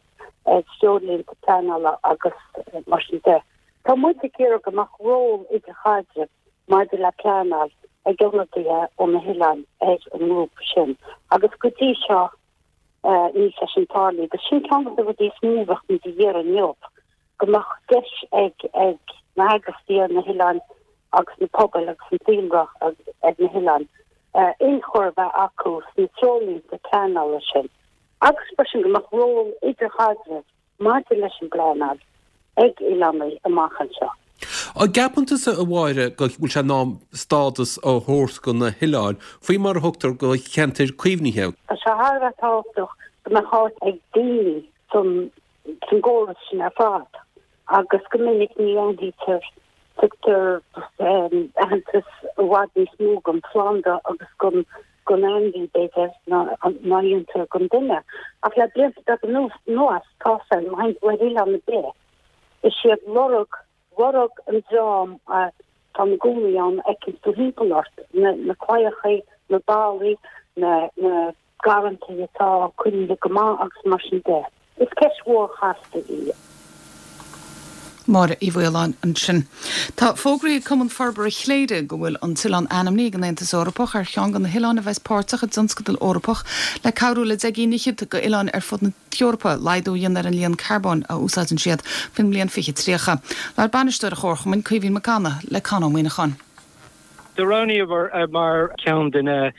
treoirlínte pleanála agus mar sin de. Tá muid ag iarraidh go mbeadh ról idirchaidrimh maidir le pleanáil ag ionadaithe ó na hoileáin ar an ngrúpa sin agus go dtí seo níl sé sin tarlaithe agus sin ceann de na rudaí is mó a bheadh muid ag iarraidh inniu, go mbeadh deis ag ag na heagraíochtaí ar na hoileáin agus na pobail agus an daonra ar na hoileáin ionchur a bheith acu sna treoirlínte pleanála sin agus freisin go mbeadh ról idirchaidrimh maidir leis an bpleanáil ag oileánaigh amach anseo. An gceapann tusa, a Mháire, go bhfuil sé in am stádas a thabhairt do na hoileáin, faoi mar a thugtar do cheantair caomhnaithe? Tá sé thar a bheith tábhachtach go mbeadh áit ag daoine san gcóras sin ar fad agus go minic ní aithnítear, tugtar aitheantas i bhfad níos mó don phlanda agus don don ainmhí, b'fhéidir, ná a dhéantar don duine. Ach le blianta beaga anuas, tá sé, má théann tú ar oileán ar bith, is iad lorg, lorg an dream atá ina gcónaí ann a fheiceanns tú thimpeall ort, na, na claíochaí, na ballaí, na, na garrantaí atá coinnithe go maith agus mar sin de. Is ceist mhór chasta í. Máire Uí Mhaoláin ansin. Tá fógraithe ag Cumann Forbartha Chléire go bhfuil an t-oileán ainmnithe ag an Aontas Eorpach ar cheann de na hoileáin a bheas páirteach i dtionscadal Eorpach le cabhrú le 10 gcinn fhichead d'oileáin ar fud na hEorpa laghdú a dhéanamh ar an líon carbóin a úsáideann siad faoin mbliain 2030. Labhair bainisteoir an chomharchumainn, Caoimhín Mac Annaidh, le Con Ó Muíneacháin. Do roghnaíomar mar cheann de na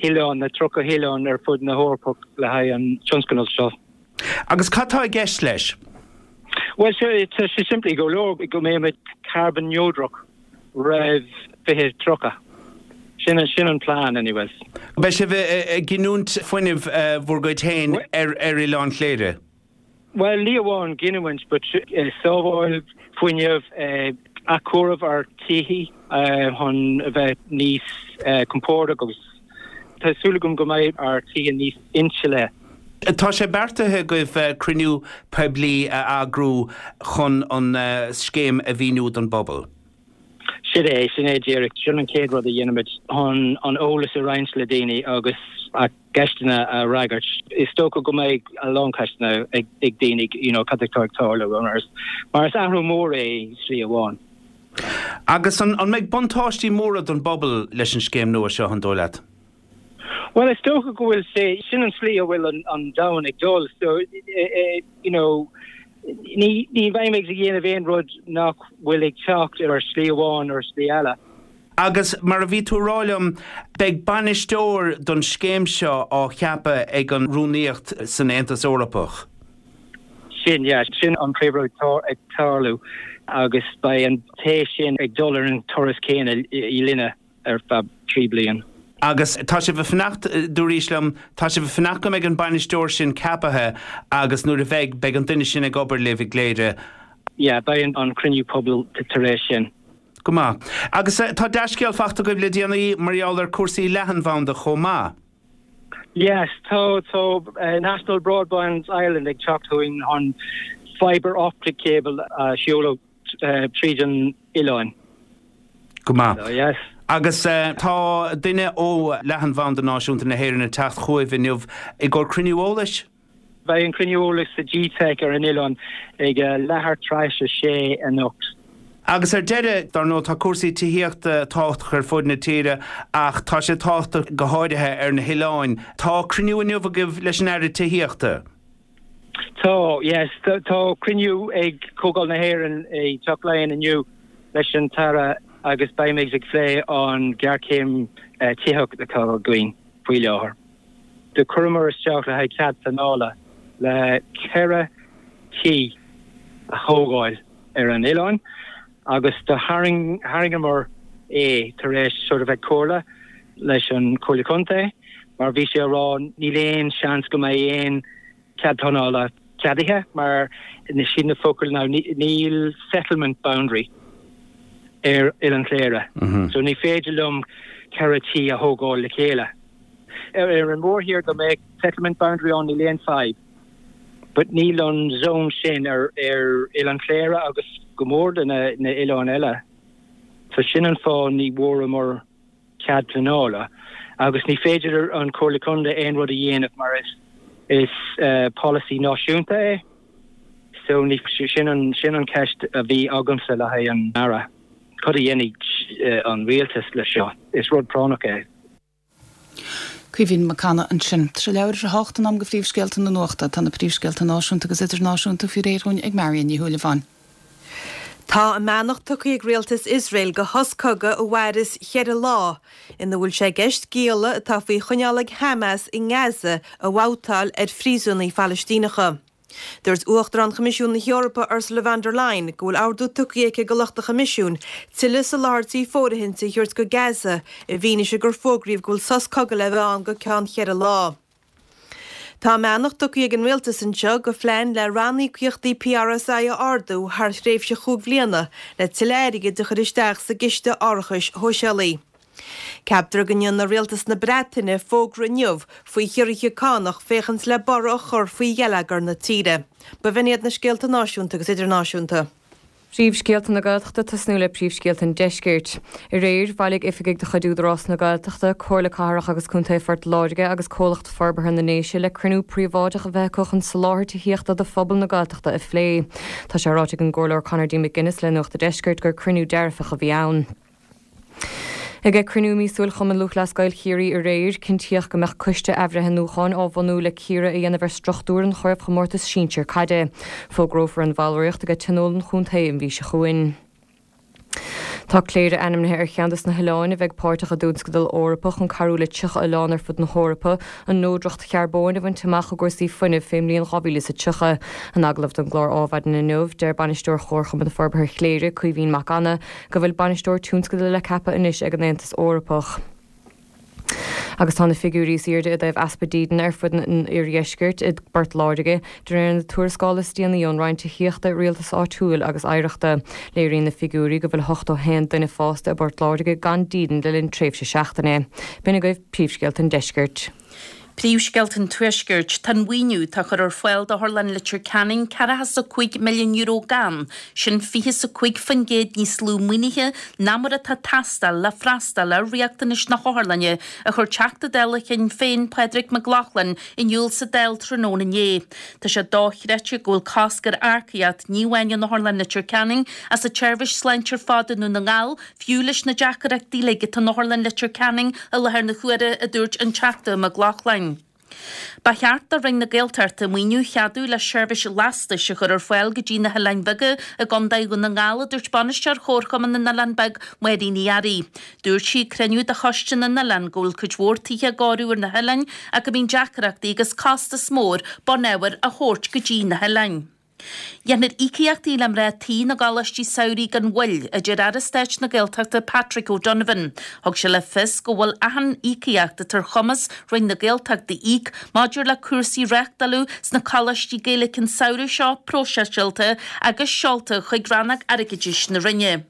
hoileáin, na 30 hoileán ar fud na hEorpach le haghaidh an tionscnamh seo. Agus cad tá i gceist leis? Bhuel, tá sé simplí go leor, go mbeimid carbon neodrach roimh 2030. Sin sin an plean anyways. Beidh sibh ag giniúint fuinnimh bhur gcuid féin ar Oileán Chléire? Bhuel, ní amháin giniúint but sábháil fuinnimh, athchóiriú ár tithe chun a bheith níos compordach agus tá súil agam go mbeidh ár tithe níos inslithe. Tá sé beartaithe agaibh cruinniú poiblí a eagrú chun an scéim a mhíniú don bpobal. Sin é, sin é díreach. Sin an chéad rud a dhéanaimid chun an eolas a roinnt le daoine agus a gceisteanna a fhreagairt. Is dócha go mbeidh a lán ceisteanna ag daoine, you know, cad atá ag tarlú mar is athrú mór é i slí amháin. Agus an mbeidh buntáistí móra don bpobal leis an scéim nua seo, an dóigh leat? Bhuel, is dócha go bhfuil sé, sin an slí a bhfuil an domhan ag dul, so, you know, ní, ní bheidh muid ag déanamh aon rud nach bhfuil ag teacht ar shlí amháin ar shlí eile. Agus mar a bhí tú a rá liom, beidh bainisteoir don scéim seo á cheapadh ag an Rúnaíocht san Aontas Eorpach. Sin, yeah, sin an príomhrud atá ag tarlú agus beidh an té sin ag dul ar an turas céanna linne. ar feadh 3 bliain. Agus tá sibh ag fanacht, dúraís liom, tá sibh ag fanacht go mbeidh an bainisteoir sin ceapaithe agus nuair a bheidh, beidh an duine sin ag obair libh i gCléire. Yeah, beidh an cruinniú pobail tar éis sin. Go maith. Agus tá dea-scéal fachta agaibh le déanaí mar gheall ar cúrsaí leathanbhanda chomh maith. Yes, tá tá National Broadband Ireland ag teacht chugainn chun fibre optic cable a sheoladh tríd an oileán. Go maith. So, yes. Agus tá duine ó Leathanbhanda Náisiúnta na hÉireann ag teacht chugaibh inniu i gcomhair cruinniú eolais? Beidh an cruinniú eolais sa GTeic ar an oileán ag leathuair tar éis a sé anocht. Agus ar deireadh, dar ndóigh, tá cúrsaí tithíochta tábhachtach ar fud na tíre ach tá sé tábhachtach go háirithe ar na hoileáin. Tá cruinniú inniu agaibh leis an Aire Tithíochta. Tá, yes. Tá cruinniú ag Comhdháil na hÉireann i dTeach Laighean inniu leis an tAire agus beimid ag plé an ghéarchéim tithíochta atá againn faoi láthair. Do chuireamar isteach le haghaidh cead pleanála le 4 tí a thógáil ar an oileán agus do tharraingeamar é tar éis sort of ag comhairle leis an Chomhairle Contae mar bhí sé a rá níl aon seans go mbeidh aon cead pleanála ceadaithe mar sin na focail ná níl settlement boundary ar Oileán Chléire so ní féidir liom 4 tí a thógáil le chéile. Ar an mórthír dá mbeadh settlement boundary ann níl aon fadhb but níl an zone sin ar ar Oileán Chléire agus go mór de na na oileáin eile so sin an fáth ní bhfuaireamar cead pleanála agus ní féidir an Chomhairle Contae aon rud a dhéanamh mar is is polasaí náisiúnta é so ní sin an sin an ceist a bhí agamsa le haghaidh an Aire cad a dhéanfaidh an rialtas le seo is rud práinneach é. Caoimhín Mac Cana ansin. Tá sé leathuair tar éis a hocht in am do phríomhscéalta na nuachta. Tá na príomhscéalta náisiúnta agus idirnáisiúnta faoi réir dhúinn ag Marion Ní Shúilleabháin. Tá a mbeannacht tugtha ag rialtas Iosrael do shos cogaidh a mhairfeas cheithre lá, ina bhfuil sé i gceist gialla atá faoi choinneáil ag Hamas i nGaza a bhabhtáil ar phríosúnaigh Phalaistíneacha. Dúirt Uachtarán Choimisiún na hEorpa Ursula von der Leyen go bhfuil ordú tugtha aici do lucht an Choimisiúin tuilleadh soláthairtí fóirithinte a thabhairt go Gaza i bhfianaise gur fógraíodh go bhfuil sos cogaidh le bheith ann go ceann cheithre lá. Tá a mbeannacht tugtha ag an Rialtas anseo do phlean le ranníocaíochtaí PRSI a ardú thar thréimhse chúig bhliana le tuilleadh airgid a chur isteach sa gCiste Árachais Shóisialaigh. Ceaptar go ndéanfaidh Rialtas na Breataine fógra inniu faoi chiorruithe cánach féachaint le borradh a chur faoi gheilleagar na tíre. B'in iad na scéalta náisiúnta agus idirnáisiúnta. Príomhscéalta na Gaeltachta tosnú le príomhscéalta an Deiscirt. Aréir, bhailigh oifigigh de chuid Údarás na Gaeltachta, Comhairle Cathrach agus Contae Phort Láirge agus Comhlacht Forbartha na nDéise le cruinniú príobháideach a bheith acu chun soláthar tithíochta do phobal na Gaeltachta a phlé. Tá sé ráite ag an gComhairleoir Conor D. McGuinness le Nuacht a' Deiscirt gur cruinniú dearfach a bhí ann. Ag cruinniú míosúil Chumann Lúthchleas Gael Chiarraí aréir, cinntíodh go mbeadh coiste athbhreithniúcháin á bhunú le cíoradh a dhéanamh ar struchtúr an chraobhchomórtais sinsir caide. Fógrófar an bhallraíocht ag tionól an chontae an mhí seo chugainn. Tá Cléire ainmnithe ar cheann des na hoileáin a bheidh páirteach i dtionscadal Eorpach chun cabhrú le 30 oileán ar fud na hEorpa an neodracht charbóin a bhaint amach i gcúrsaí fuinnimh fén mbliain 2030. In agallamh don gclár Ádhmhaidin inniu, deir Bainisteoir Chomharchumann Forbartha Chléire, Caoimhín Mac Annaidh, go bhfuil bainisteoir tionscadail le ceapadh anois ag an Aontas Eorpach. Agus tá na figiúirí is airde i dtaobh easpa dídine ar fud an oirdheiscirt i bPort Láirge, de réir na tuarascála is déanaí ón Roinn Tithíochta, Rialtais Áitiúil agus Oidhreachta. Léiríonn na figiúirí go bhfuil 81 duine fásta i bPort Láirge gan dídean le linn tréimhse seachtaine. B'in agaibh príomhscéalta an deiscirt. Príomhscéalta an Tuaiscirt, Tá an mhaoiniú atá á chur ar fáil d'Otharlann Leitir Ceanainn €45 milliún gann, sin 25% níos lú maoinithe ná mar atá ag teastáil le freastal ar riachtanais na hotharlainne, a chuir Teachta Dála Shinn Féin Pádraig Mac Lochlainn in iúl sa Dáil tráthnóna inné. Tá sé dochreidte go bhfuil cosc ar earcaíocht, ní amháin in Otharlann Leitir Ceanainn ach sa tseirbhís sláinte ar fad i nDún na nGall, Fiú leis na deacrachtaí uilig atá in Otharlann Leitir Ceanainn i láthair na huaire, a dúirt an Teachta Mac Lochlainn. Ba cheart do Roinn na Gaeltachta maoiniú a cheadú le seirbhís lastais a chur ar fáil go dtí na hOileáin Bheaga i gContae Dhún na nGall, a dúirt Bainisteoir Chomharchumann na nOileán Beag, Máirín Uí Fhearraigh. Dúirt sí ag cruinniú de Choiste na nOileán go bhfuil cuid mhór tithe á gcóiriú ar na hoileáin ach go mbíonn deacrachtaí agus costas mór bunábhair a thabhairt go dtí na hoileáin. Dhéanfar íocaíochtaí le mná tí na gcoláistí samhraidh gan mhoill, a deir Aire Stáit na Gaeltachta Patrick O'Donovan. Thug sé le fios go bhfuil achan íocaíocht atá ar chumas Roinn na Gaeltachta íoc maidir le cúrsaí a reáchtáladh sna coláistí Gaeilge an samhradh seo próiseáilte agus seolta chuig rannóg airgeadais na Roinne.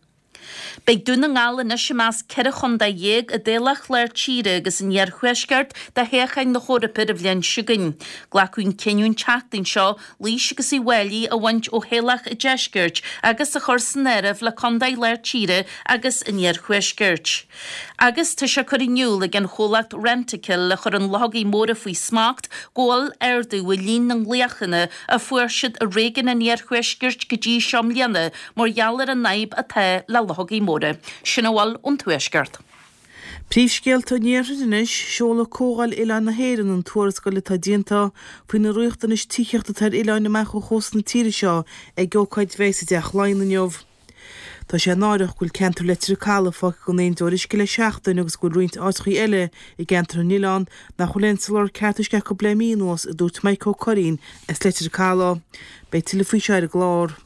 Beidh Dún na nGall anois i measc 14 chontae i dtoghlach Lár Tíre agus an Iarthuaiscirt do thoghcháin na hEorpa ar an bhliain seo chugainn. Glacadh an cinneadh an tseachtain seo Laois agus Uíbh Fhailí a bhaint ó thoghlach an Deiscirt agus a chur san áireamh le contaetha Lár Tíre agus an Iarthuaiscirt. Agus tá sé curtha in iúl ag an chomhlacht Rentokil a chuireann luchógaí móra faoi smacht go bhfuil ardú i líon na nglaochanna a fuair siad i réigiún an Iarthuaiscirt go dtí seo i mbliana mar gheall ar an fhadhb atá le luchógaí móra. Sin a bhfuil ón Tuaisceart. Príomhscéalta an Iarthair anois, Seolfaidh Comhdháil Oileáin na hÉireann an tuarascáil atá déanta faoi na riachtanais tithíochta atá ar oileáin amach ó chósta na tíre seo ag ócáid a bheidh sa dTeach Laighean inniu. Tá sé náireach go bhfuil ceantar Leitir Calaidh fágtha gan aon deoir uisce le seachtain agus go bhfuil roinnt áiteachaí eile i gceantar na n-oileán nach bhfuil aon soláthar ceart uisce acu le mí anuas, a dúirt Mike Ó Curraoin as Leitir Calaidh. Beidh tuilleadh faoi seo ar an gclár.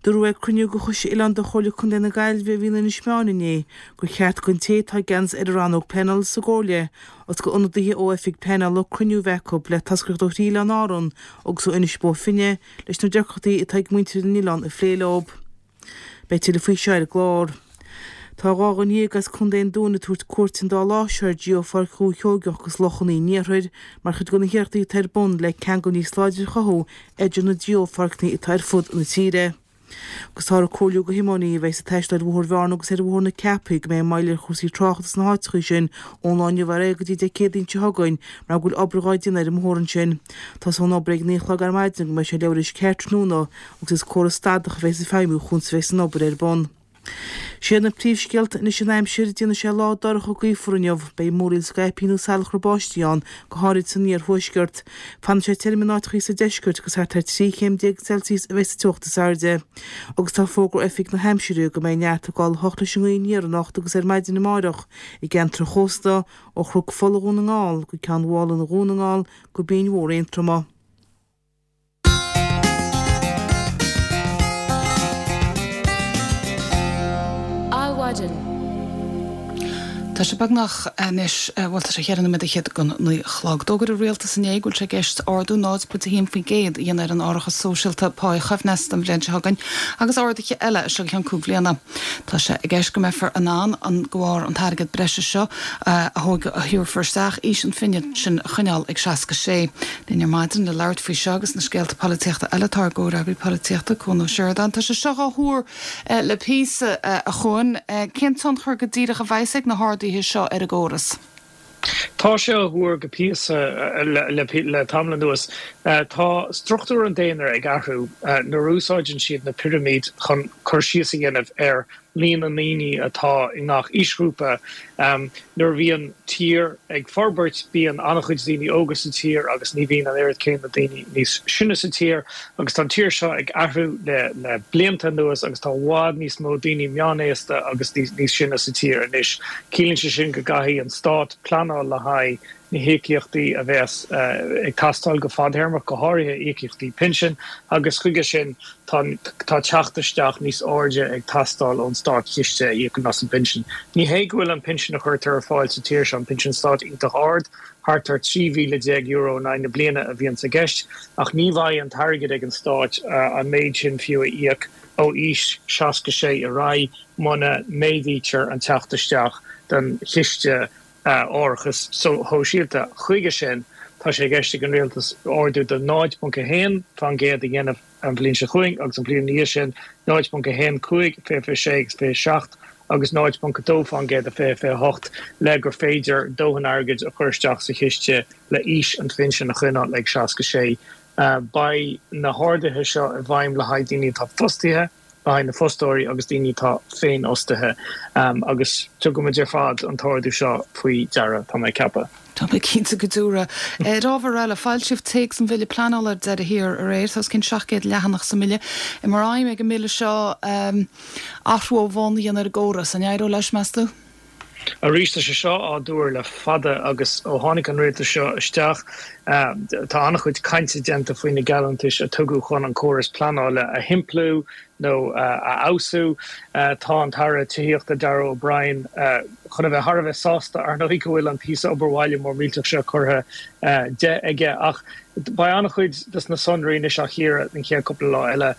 Dúradh ag cruinniú de Choiste Oileán de Chomhairle Contae na Gaillimhe a bhí in Inis Meáin inné gur cheart don té atá i gceannas ar an rannóg pleanála sa gComhairle agus d'ionadaithe ó oifig pleanála cruinniú a bheith acu le toscaireacht ó thrí oileán Árann agus ó Inis Bó Finne leis na deacrachtaí atá ag muintir na n-oileán a phlé leo. Beidh tuilleadh faoi seo ar an gclár. Tá 12 dhuine as Contae an Dúin ag tabhairt cuairt an dá lá seo ar Geopháirc Dhúiche Sheoigeach agus Loch an Iarthair mar chuid de na hiarrachtaí atá ar bun le ceangal níos láidre a chothú idir na geopháirceanna atá ar fud na tíre. Agus táthar ag comhairliú do thiománaithe a bheas ag taisteal ar Bhóthar Bhearna agus ar Bhóthar na Ceapaí go mbeidh moill ar chúrsaí tráchta sna háiteacha sin ón lá inniu ar aghaidh go dtí Dé Céadaoin seo chugainn mar go bhfuil obair dhá déanamh ar an mbóthar ansin. Tosóidh an obair ag 9 a chlog ar maidin go mbeidh sé leabhar arís ceathair tráthnóna agus is córas stadach a bheas ag feidhmiú chúns a bheas an obair ar bun. Siad na príomhscéalta anois an aimsir, déanfaidh sé lá dorcha gaofar inniu. Beidh múraíl scaipthe nó salachar báistí ann, go háirid san iarthuaisceart. Fanfaidh sé tirim in áiteachaí sa deisceart agus thart ar 13 chéim Celsius a bheidh sa teocht is airde. Agus tá fógra ó Oifig na hAimsire go mbeidh neart ag gabháil a 8 leis an ngaoth aniar anocht agus ar maidin amáireach i gceantar an chósta, ó Chnoc Fola Dhún na nGall go Ceann Mhálanna Dhún na nGall go Binn Mhór Aontroma. Adhmhaidin. Tá sé beagnach anois, bhuel tá sé cheithre nóiméad fhichead don 9 a chlog. D'fhógair an Rialtas inné go bhfuil sé i gceist ardú 0.1% a dhéanamh ar an árachas sóisialta páí-choibhneasta an bhliain seo chugainn agus arduithe eile as seo go ceann cúig bhliana. Tá sé i gceist go mbeifear in ann an de bharr an t-airgead breise seo a thabharfar isteach aois an phinsin a choinneáil ag 66. Linn ar maidin le labhairt faoi seo agus na scéalta polaitíochta eile tá ár gcomhfhreagraí polaitíochta, Cuan Ó Seireadáin. Tá sé seo á thuar le píosa, a Chuain. Cén tionchar go díreach a bheas ag na harduithe seo ar an gcóras? Tá sé á thuar go píosa le tamall anuas. Tá struchtúr an daonra ag athrú nuair a úsáideann siad na pirimid chun cur síos a dhéanamh ar líon na ndaoine atá i ngach aoisghrúpa. Nuair a bhíonn tír ag forbairt, bíonn an-chuid daoine óga sa tír agus ní bhíonn an oiread céanna daoine níos sine sa tír. Agus tá an tír seo ag athrú le blianta anuas agus tá i bhfad níos mó daoine meánaosta agus níos sine sa tír anois. Ciallaíonn sé sin go gcaithfidh an stát pleanáil le haghaidh na híocaíochtaí a bheas ag teastáil go fadtéarmach, go háirithe íocaíochtaí pinsin, agus chuige sin tá tá teacht isteach níos airde ag teastáil ón státchiste a íocann as an bpinsean. Ní hé go bhfuil an pinsean a chuirtear ar fáil sa tír seo, an pinsean stáit, iontach ard, thart ar €13,000 in aghaidh na bliana a bhíonns i gceist, ach ní bheidh an t-airgead ag an stát an méid sin fiú a íoc ó aois 66 ar aghaidh muna méadaítear an teacht isteach don chiste árachais shóisialta. Chuige sin, tá sé i gceist ag an Rialtas ardú de 0.1 fán gcéad a dhéanamh an bhliain seo chugainn agus an bhliain ina dhiaidh sin, 0.15, 2026 agus 27, agus 0.2 fán gcéad i 2028 le gur féidir dóthain airgid a chur isteach sa chiste le aois an phinsin a choinneáil ag 66. Beidh na harduithe seo i bhfeidhm le haghaidh daoine atá fostaithe. le haghaidh na fostóirí agus daoine atá féinfhostaithe agus tugaimid ar fad an t-ardú seo faoi deara, tá mé ag ceapadh. Tá mé cinnte go dtabharfaidh. Ar ábhar eile, foilsíodh téacs an Bhille Pleanála ar deireadh thiar aréir. Tá os cionn 700 leathanach sa mBille. Mar aidhm ag an mBille seo athrú ó bhonn a dhéanamh ar an gcóras. An éireoidh leis, meas tú? Arís, tá sé seo á dtuar le fada agus ó tháinig an rialtas seo isteach, tá an-chuid cainte déanta faoi na geallúntais a tugadh chun an córas pleanála a shimpliú nó a fheabhsú. Tá an tAire Tithíochta Darragh O'Brien chun a bheith thar a bheith sásta, ar ndóigh, go bhfuil an píosa obair bhaile mór millteach seo curtha de aige. Ach. Beidh an-chuid des na sonraí anois á chíoradh den chéad cúpla lá eile.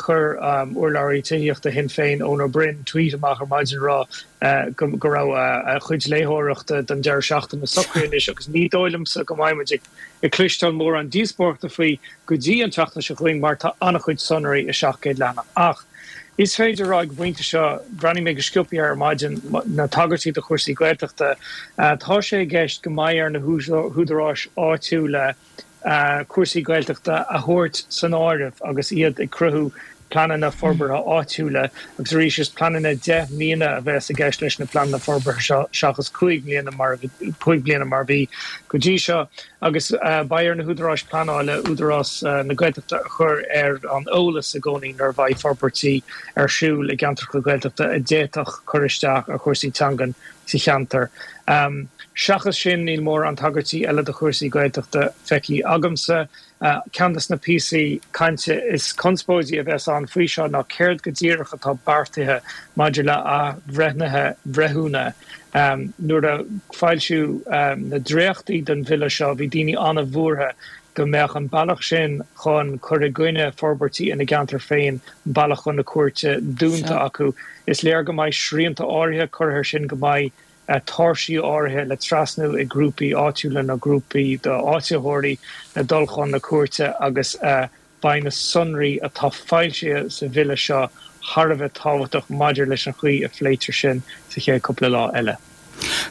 Chuir urlabhraí tithíochta Shinn Féin, Eoin Ó Broin, tweet amach ar maidin ag rá go raibh a chuid léitheoireachta don deireadh seachtaine socraithe anois agus ní dóigh liomsa go mbeidh muid ag cloisteáil mórán díospóireachta faoi go dtí an tseachtain seo chugainn mar tá an-chuid sonraí i 700 leathanach. Ach is féidir a rá ag an bpointe seo, bhreathnaigh mé go sciobtha air ar maidin, na tagairtí do chúrsaí Gaeltachta, tá sé i gceist go mbeidh ar na húdaráis áitiúla cúrsaí Gaeltachta a thabhairt san áireamh agus iad ag cruthú pleananna forbartha áitiúla agus arís is pleananna 10 mbliana a bheas i gceist leis na pleananna forbartha seo seachas 5 mbliana mar 5 bliana mar a bhí go dtí seo agus beidh ar na húdaráis pleanála Údarás na Gaeltachta a chur ar an eolas i gcónaí nuair a bheidh forbairtí ar siúl i gceantracha Gaeltachta a d'fhéadfadh cur isteach ar chúrsaí teangan sa cheantar. Seachas sin níl mórán tagairtí eile do chúrsaí Gaeltachta feicthe agamsa. Ceann de na píosaí cainte is conspóidí a bheas ann faoi seo ná céard go díreach atá beartaithe maidir le athbhreithnithe breithiúna. Nuair a foilsíodh na dréachtaí den bhille seo bhí daoine an-bhuartha go mbeadh an bealach sin chun cur i gcoinne forbairtí ina gceantar féin, an bealach chun na cúirte, dúnta acu. Is léir go mbeidh srianta áirithe curtha air sin, go mbeidh tairsí áirithe le trasnú ag grúpaí áitiúla nó grúpaí d'áititheoirí le dul chun na cúirte agus beidh na sonraí atá foilsithe sa bhille seo thar a bheith tábhachtach maidir leis an chaoi a phléitear sin sa chéad cúpla lá eile.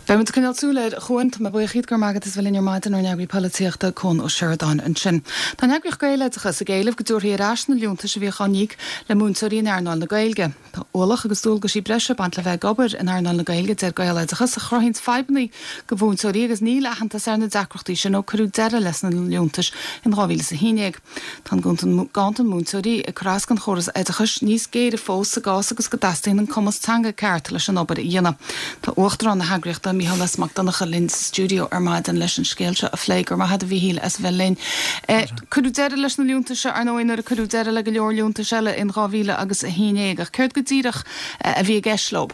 Beidh muid ag coinneáil súil air, a Chuain. Tá mé buíoch díot, go raibh maith agat as a bheith linn ar maidin, ár n-eagraí polaitíochta, Cuan Ó Seireadáin ansin. Tá an eagraíocht Gaeloideachas ag éileamh go dtabharfaí ar ais na liúntais a bhíodh á n-íoc le múinteoirí in earnáil na Gaeilge. Tá ualach agus dualgaisí breise ag baint le bheith ag obair in earnáil na Gaeilge, deir Gaeloideachas, a chruthaíonns fadhbanna do mhúinteoirí agus níl aitheantas ar na deacrachtaí sin ó cuireadh deireadh leis na liúntais in 2011. Tá an ganntan múinteoirí ag cur as don chóras oideachais níos géire fós sa gcás agus go dteastaíonn an cumas teanga ceart leis an obair a dhéanamh. Tá Uachtarán na heagraíochta, Mícheál S. Mac Donncha, linn sa stiúideo ar maidin leis an scéal seo a phlé. Go raibh maith agat a Mhíchíl as a bheith linn. Cuireadh deireadh leis na liúntais seo, ar ndóigh, nuair a cuireadh deireadh le go leor liúntais eile in 2000 agus 11, ach céard go díreach a bhí i gceist leo?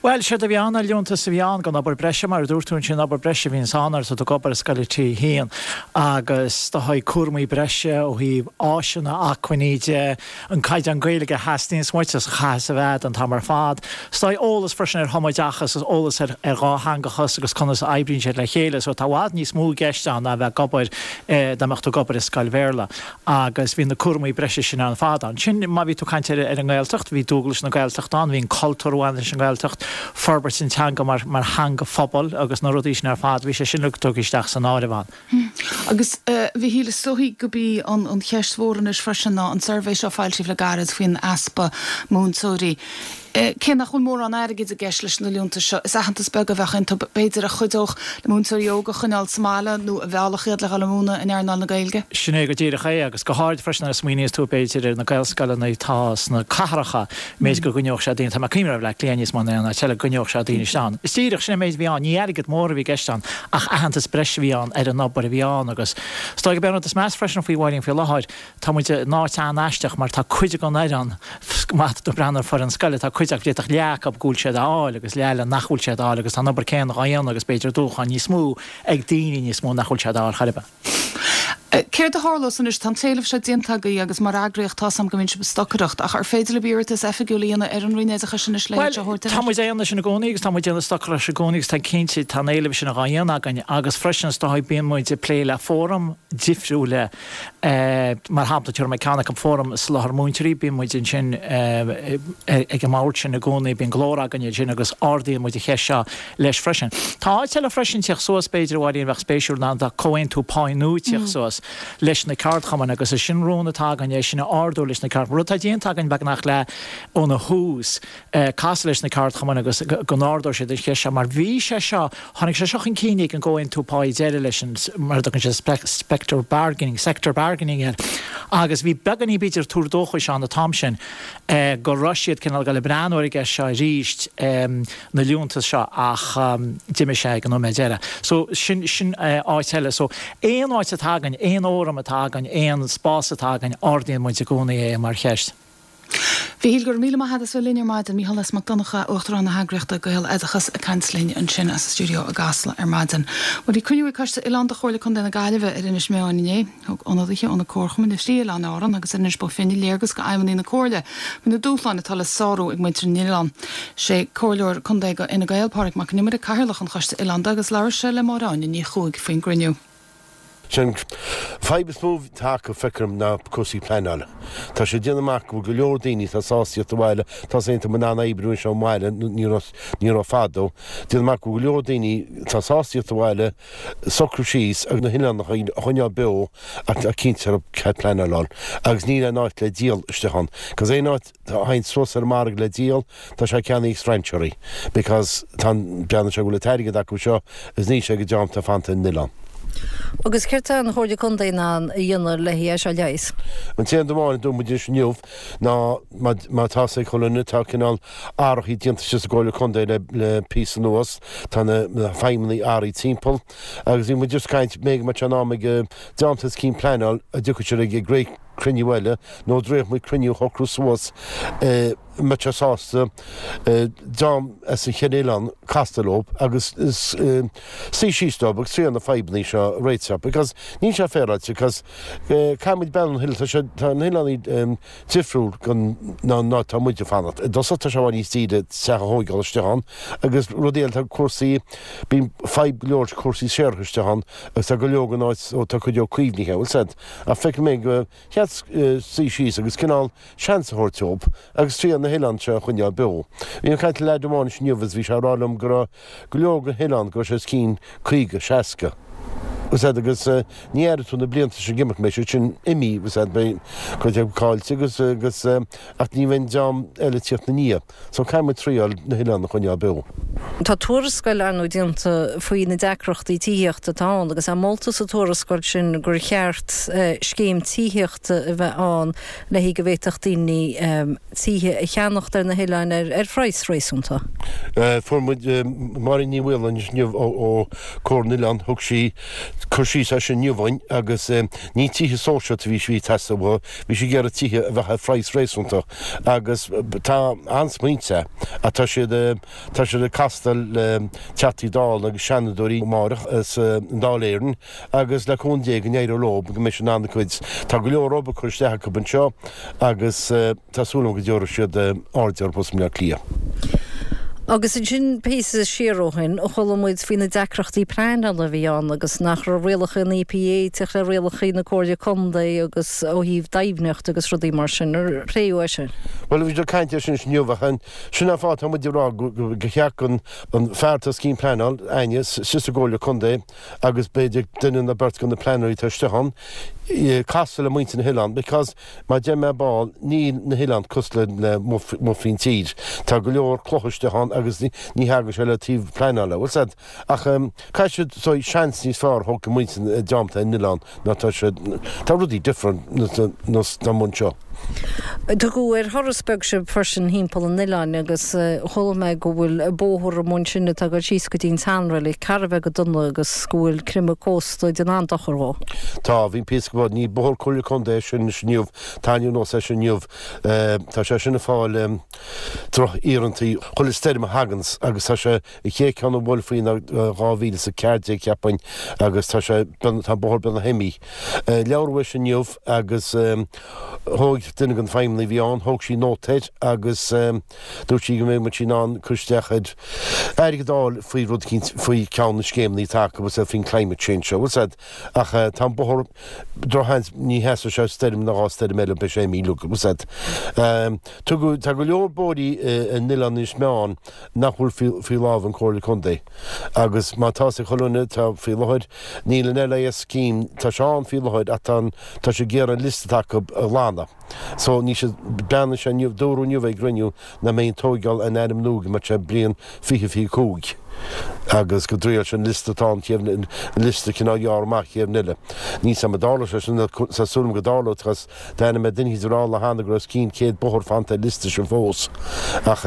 Bhuel, séard a bhí ann ná liúntas a bhí ann don obair breise, mar a dúirt tú ansin, obair breise a bhíonns ann nuair atá tú ag obair i scoil 3 1 agus do thaobh cúramaí breise ó thaobh áiseanna, acmhainní de, an caighdeán Gaeilge a theastaíonns uait agus a chaithfeas a bheith an t-am ar fad. Is dóigh eolas freisin ar thumoideachas agus eolas ar dhátheangachas agus conas a oibríonn siad le chéile. So tá i bhfad níos mó i gceist ann ná a bheith ag obair, dá mbeadh tú ag obair i scoil Bhéarla. Agus bhí na cúramaí breise sin ann fad. Ansin má bhí tú ag caint ar an nGaeltacht, bhí dualgais na Gaeltachta ann, bhí an cultúr a bhain leis an nGaeltacht, forbairt an teanga mar mar theanga phobail agus na rudaí sin ar fad, bhí sé sin uilig tugtha isteach san áireamh ann. Agus a Mhichíl, is dóichí gurb í an an cheist mhór anois freisin ná an suirbhé seo a foilsíodh le gairid faoin easpa múinteoirí. Cé nach bhfuil mórán airgid i gceist leis na liúntais seo, is aitheantas beag a bheadh iontu, b'fhéidir, a chuideodh le múinteoirí óga a choinneáil sa mbaile nó a mheallfadh iad le dhul ag múineadh in earnáil na Gaeilge. Sin é go díreach é, agus go háirid freisin nuair a smaoiníos tú, b'fhéidir, ar na Gaelscoileanna atá sna cathracha, méid go gcoinneodh sé daoine, tá mé ag cuimhneamh ar Bhleá Cliath níos mó ná aon áit eile, go gcoinneodh sé daoine isteach ann. Is díreach, sin é an méid a bhí ann, ní airgead mór a bhí i gceist ann, ach aitheantas breise a bhí ann ar an obair a bhí ann agus is dóigh gurb é an rud is measa freisin faoi Mháirín faoi láthair, Tá muid in áit an-aisteach mar tá cuid den fhoireann, má tá tú ag breathnú ar foireann scoile, tá cuid acu, d'fhéadfadh leath acu go bhfuil siad á fháil agus leath eile nach bhfuil siad á fháil agus tá an obair céanna dhá dhéanamh agus b'fhéidir dúshlán níos mó ag daoine níos mó nach bhfuil siad á fháil chor ar bith. Céard a tharlós anois? Tá an t-éileamh seo déanta agaibh agus mar eagraíocht tá's a'm go mbíonn sibh ag stocaireacht ach ar féidir libh iarratas oifigiúil a dhéanamh ar an Roinn Oideachais anois le iad seo a thabhairt ar ais? Tá muid á dhéanamh sin i gcónaí agus tá muid ag déanamh stocaireacht i gcónaí agus tá cinnte tá an éileamh sin dhá dhéanamh againn agus freisin is dóigh bíonn muid ag plé le fóraim difriúla Mar shampla, tabharfaidh mé ceann acu, Fóram Soláthar Múinteoirí, bíonn muid ansin ag an mbord sin i gcónaí, bíonn glór againne ansin agus ardaíonn muid an cheist seo leis freisin. Tá áit eile freisin ag tíocht suas, b'fhéidir, a Mháirín, a bheadh spéisiúil ná tá comhaontú páí nua ag tíocht suas leis na ceardchumainn agus is sin rún atá againn é sin a ardú leis na ceardchumainn. Rud atá déanta againn beagnach le óna thús, casadh leis na ceardchumainn agus go n-ardóidh siad an cheist seo mar bhí sé seo, tháinig sé seo chun cinn ag an gcomhaontú páí deiridh leis an, mar a dtugann siad spector bargaining, sector bargaining air agus bhí beagáinín b'fhéidir tuar dóchais ann an t-am sin go raibh siad cineál ag dul ag breathnú ar an gceist seo arís, na liúntais seo ach d'imigh sé ag an nóiméad deiridh. So sin, sin áit eile. So aon áit atá againn, aon fhóram atá againn, aon spás atá againn, ardaíonn muid i gcónaí é mar cheist. Mhíchíl, go raibh míle maith agat as bheith linn ar maidin. Mícheál S. Mac Donncha, Uachtarán na heagraíochta Gaeloideachas ag caint linn ansin as an stiúideo i gCasla ar maidin. Bhuel bhí cruinniú ag Coiste Oileán de Chomhairle Contae na Gaillimhe ar Inis Meáin inné. Thug ionadaithe ó na comharchumainn ar thrí oileán Árann agus ar Inis Bó Finne léargas go fheidhmeannaigh na Comhairle faoi na dúshláin atá le sárú ag muintir na n-oileán. Sé Comhairleoir Contae go Fhine Gael, Pádraig Mac Con Iomaire, Cathaoirleach an Choiste Oileánda agus labhair sé le Máire Áine Ní Chuaig faoin gcruinniú. Sé an fadhb is mó atá acu, feictear dom, ná cúrsaí pleanála. Tá sé ag déanamh amach go bhfuil go leor daoine atá sásta tíocht abhaile, tá a fhios agat in ann oibriú anseo i mbaile, ní raibh, ní raibh fadó. Déanamh amach go bhfuil go leor daoine atá sásta tíocht abhaile, socrú síos agus na hoileáin a choinneáil beo ach tá cinnte cead pleanála a fháil agus níl aon áit le díol istigh ann. Cos aon áit a théann suas ar an margadh le díol, tá sé ceannaithe ag strainséirí because tá an, breathnaíonn sé go bhfuil an t-airgead acu seo is níl sé ag an dream atá fanta ar an oileán. Agus céard tá an Chomhairle Contae in ann a dhéanamh le é seo a leigheas? An t-aon rud amháin a dúirt muid anois inniu ná má má tá a fhios ag chuile dhuine tá cineál athrachaí déanta istigh sa gComhairle Contae le le píosa anuas, tá na na feidhmeannaigh athraithe timpeall agus bhí muid just ag caint b'fhéidir go mbeadh sé in am ag an dream atá os cionn pleanáil an dtiocfadh siad ag ag cruinniú eile nó an dtriailfeadh muid cruinniú a shocrú suas mbeadh sé sásta dream as an cheithre oileán castáil leo agus suí síos leo agus triail na fadhbanna seo a réiteach because níl sé féaráilte because caithfidh muid breathnú ar na hoileáin tá sé tá na hoileáin difriúil gon ná ná tá muid ag fanacht. I dtosach tá sé i bhfad níos daoire teach a thóigeáil istigh ann agus rudaí eile tá cúrsaí bíonn fadhb go leor cúrsaí séarachais istigh ann agus tá go leor den áit ó tá cuid dhó caomhnaithe bhfuil a fhios agat Ach feicim é gur cheart suí síos agus cineál seans a thabhairt dóibh agus triail na hoileáin seo a choinneáil beo. Bhí mé ag caint le leaid amháin inniu agus bhí sé ag rá liom go raibh go leor den oileán go raibh sé os cionn 50, 60. Bhfuil a fhios agat agus ní aireoidh tú na blianta sin ag imeacht, beidh siad sin imithe, bhfuil a fhios agat, beidh cuid acu caillte agus, agus ach ní bheidh an dream eile ag tíocht ina ndiaidh. So caithfidh muid triail na hoileáin a choinneáil beo. Tá tuarascáil ar ndóigh déanta faoi na deacrachtaí tithíochta atá ann agus é molta sa tuarascáil sin gur cheart scéim tithíochta a bheith ann le go bhféadfadh daoine tithe a cheannacht ar na hoileáin ar phraghas réasúnta. Fuair muid Máirín Ní Mhaoláin inniu ó Comhar na nOileán, thug sí cur síos air sin inniu dhúinn agus ní tithe sóisialta a bhí sí ag teastáil uathu, bhí sí ag iarraidh tithe a bheadh ar phraghas réasúnta. Agus tá an-smaointe ach tá siad tá siad ag castáil le Teachtaí Dála agus Seanadóirí amáireach sa nDáil Éireann agus le cúnamh Dé go n-éireoidh leo go mbeidh siad in ann a gcuid tá go leor obair curtha isteach acu anseo agus tá súil agam go dtabharfaidh siad aird orthu i mBaile Átha Cliath. Agus ansin píosa siar ó shin, chuala muid faoi na deacrachtaí pleanála a bhí ann agus nach raibh rialacha an EPA ag teacht le rialacha na Comhairle Contae agus ó thaobh deimhneacht agus rudaí mar sin. Ar pléadh é sin? Bhuel, bhí siad ag caint air sin inniu ach sin an fáth atá muid ag rá gur cheart don fear atá os cionn pleanáil, Áine, istigh sa gComhairle Contae agus b'fhéidir duine nó beirt de na pleanóirí atá istigh ann, casadh le muintir na hoileán because mar a deir mé ar ball, níl na hoileáin cosúil le amuigh faoin tír. Tá go leor clocha istigh ann agus ní thagann sé le taobh pleanála, bhfuil 's a'd. Ach caithfidh siad seans níos fearr a thabhairt do mhuintir an dream atá ar an oileán ná tá siad, tá rudaí different ná amuigh anseo. Tugadh ar thuras beag sibh freisin thimpeall an oileáin agus chuala mé go bhfuil bóthar amuigh ansin atá ag dul síos go dtí an tseanreilig thar a bheith go dona agus go bhfuil creimeadh cósta ag déanamh an-dochar dhó. Tá, bhí píosa go ní bóthar Comhairle Contae é sin anois inniu, tá ainm nós é sin inniu, tá sé sin ag fáil droch-iarrantaí chuile stoirm a thaganns agus tá sé An chéad ceann a bhuail faoi ná 2014 cheapfainn agus tá sé, tá an bóthar beagnach imithe. Labhradh leis inniu agus thóg duine den feidhmeannaigh a bhí ann, thóg sí nóta air agus dúirt sí go mbeidh muid in ann cur isteach ar airgead a fháil faoi rud eicínt, faoi ceann na scéimeanna atá acu agus faoin climate change seo, bhfuil 's a'd. Ach tá an bóthar, drochsheans, ní sheasfaidh sé stoirm nó dhá stoirm eile, beidh sé imithe uilig, bhfuil 's a'd. Tugadh, tá go leor bóithrí in Oileán Inis Meáin nach bhfuil faoi lámh an Comhairle Contae agus má tá 's ag chuile dhuine tá faoi láthair níl an LIS scheme tá sé ann faoi láthair ach tá an tá sé ag iarraidh an liosta atá acu a ghlanadh so ní siad beannaigh sé inniu dúradh inniu ag gcruinniú nach mbeidh an tóigeáil in ainm nua go mbeadh sé bliain 2025. Agus go dtriail sé an liosta atá ann chéad, an liosta cineál a ghearradh amach chéad uair eile. Níl 's a'm an dtarlóidh sé sin, tá súil agam go dtarlóidh, because d'aithnigh mé duine eicínt ag rá an lá cheana go raibh os cionn 100 bóthar fanta ar an liosta sin fós. Ach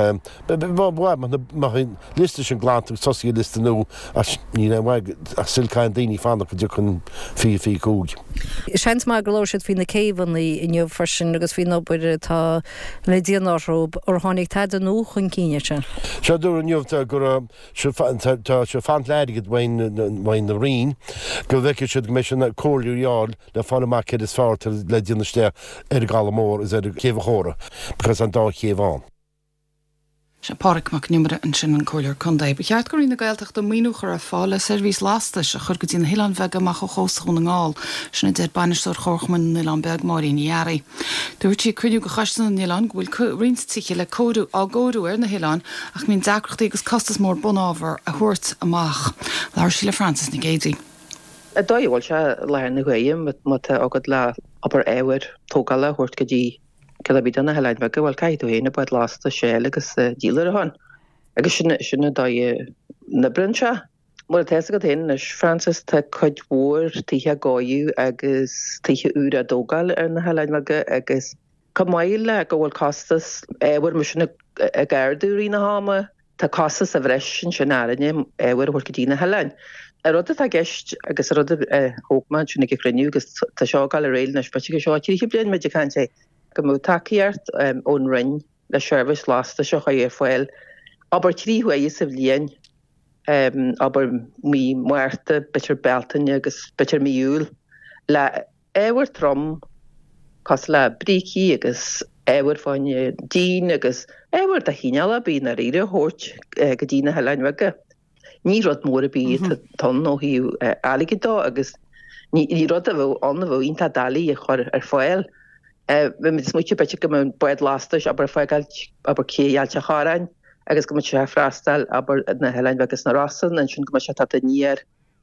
ba mhaith má bheadh an liosta sin glanta agus tosaí ar liosta nua ach níl aon mhaith ach still caithfidh daoine fanacht go dtiocfaidh an 2025. Seans maith gur labhair siad faoi na céibheanna inniu freisin agus faoin obair atá le déanamh orthu. Ar tháinig tada nua chun cinn air sin? Sea, dúradh inniu go raibh sé tá sé ag fanacht le airgead uaidh an Roinn go bhfeicfidh siad go mbeidh siad in comhairle a fháil le fáil amach céard is fearr le déanamh isteach ar an gCaladh Mór is ar Chéibh an Chóra because tá an dá chéibh ann. Sé Pádraig Mac Con Iomaire ansin an Comhairleoir Contae. Ba cheart go Roinn na Gaeltachta maoiniú a chur ar fáil le seirbhís lastais a chur go dtí na hoileáin bheaga amach ó chósta Dhún na nGall. Sin a deir Bainisteoir Chomharchumann na nOileán Beag, Máirín Ní Fhearraigh. Dúirt sí ag cruinniú de Choiste na nOileán go bhfuil roinnt tithe le cóiriú á gcóiriú ar na hoileáin ach go mbíonn deacrachtaí agus costas mór bunábhar a thabhairt amach. Labhair sí le Frances Nic Géadaigh. An dóigh a bhfuil sé i láthair na huaire má tá agat le abair ábhar tógála a thabhairt go dtí ceann ar bith de na hoileáin bheaga, bhuel caithfidh tú féin an bád lastais a fháil agus díol ar a shon. Agus sin sin an dóigh a n-oibríonn sé. Mar atá fhios agat féin anois, Frances, tá cuid mhór tithe á gcóiriú agus tithe úra á dtógáil ar na hoileáin bheaga agus chomh maith le go bhfuil costas ábhair mar sin ag ardú i rith na hama, Tá costas sa bhreis ansin orainne ábhar a thabhairt go dtí na hoileáin. An rud atá i gceist agus an rud a thóg mé ansin ag an chruinniú agus tá seo ag dul ar aghaidh anois b'fhéidir go seo 30 bliain muid ag caint air, go mbeadh tacaíocht ón Roinn le seirbhís lastais a chur ar fáil, abair 3 huaire sa bhliain, abair mí Márta, b'fhéidir Bealtaine agus b'fhéidir mí Iúil, le ábhar trom cosúil le brící agus ábhar fá choinne díon agus ábhar de chineál ar bith i ndáiríre a thabhairt go dtí na hoileáin bheaga. Ní rud mór ar bith atá ann ó thaobh airgid dó agus ní rud a bheadh ann a bheadh iontach doiligh a chur ar fáil. Bhí muid ag smaoitiú b'fhéidir go mbeadh bád lastais abair ag fágáil abair cé Ailt an Chorráin agus go mbeadh sé ag freastal abair na hoileáin bheaga sna Rosann ansin go mbeadh sé ag teacht aniar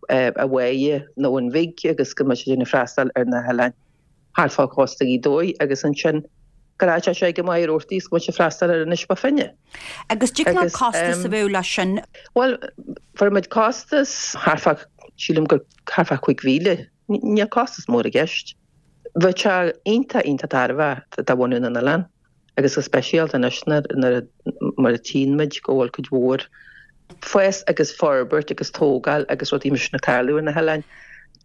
a Mháighe nó an Bhig agus go mbeadh sé ag déanamh freastal ar na hoileáin thart fá chósta Ghaoth Dobhair agus ansin go rachadh sé ag an Machaire Rabhartaigh agus go mbeadh sé ag freastal ar Inis Bó Finne. Agus cad é an costas a bheadh leis sin? Bhuel, fuair muid costas thart fá, sílim gur thart fá 5,000. Níl costas mór i gceist. Bheadh sé iontach, iontach tairbheach do bhunú na n-oileán. agus go speisialta anois nuair mar a tchíonn muid go bhfuil cuid mhór fás agus forbairt agus tógáil agus rudaí mar sin ag tarlú ar na hoileáin,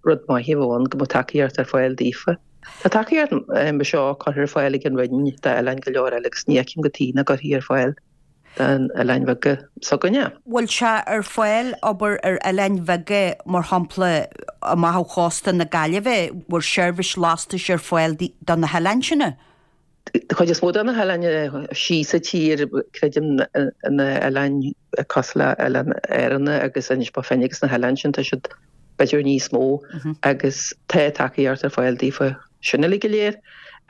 rud maith a bheadh ann go mbeadh tacaíocht ar fáil daofa. Tá tacaíocht mar seo curtha ar fáil ag an Roinn d'oileáin go leor eile agus ní fheicim cad chuige nach gcuirfí ar fáil d'oileáin bheaga s'againne. Bhfuil sé ar fáil abair ar oileáin bheaga mar shampla amach ó chósta na Gaillimhe, bhfuil seirbhís lastais ar fáil do na hoileáin sin? Chuid is mó de na hoileáin síos sa tír, creidim, na hoileáin cosúil le Oileáin Árann agus Inis Bó Finne agus na hoileáin sin, tá siad b'fhéidir níos mó agus tá tacaíocht ar fáil daofa sin uilig go léir.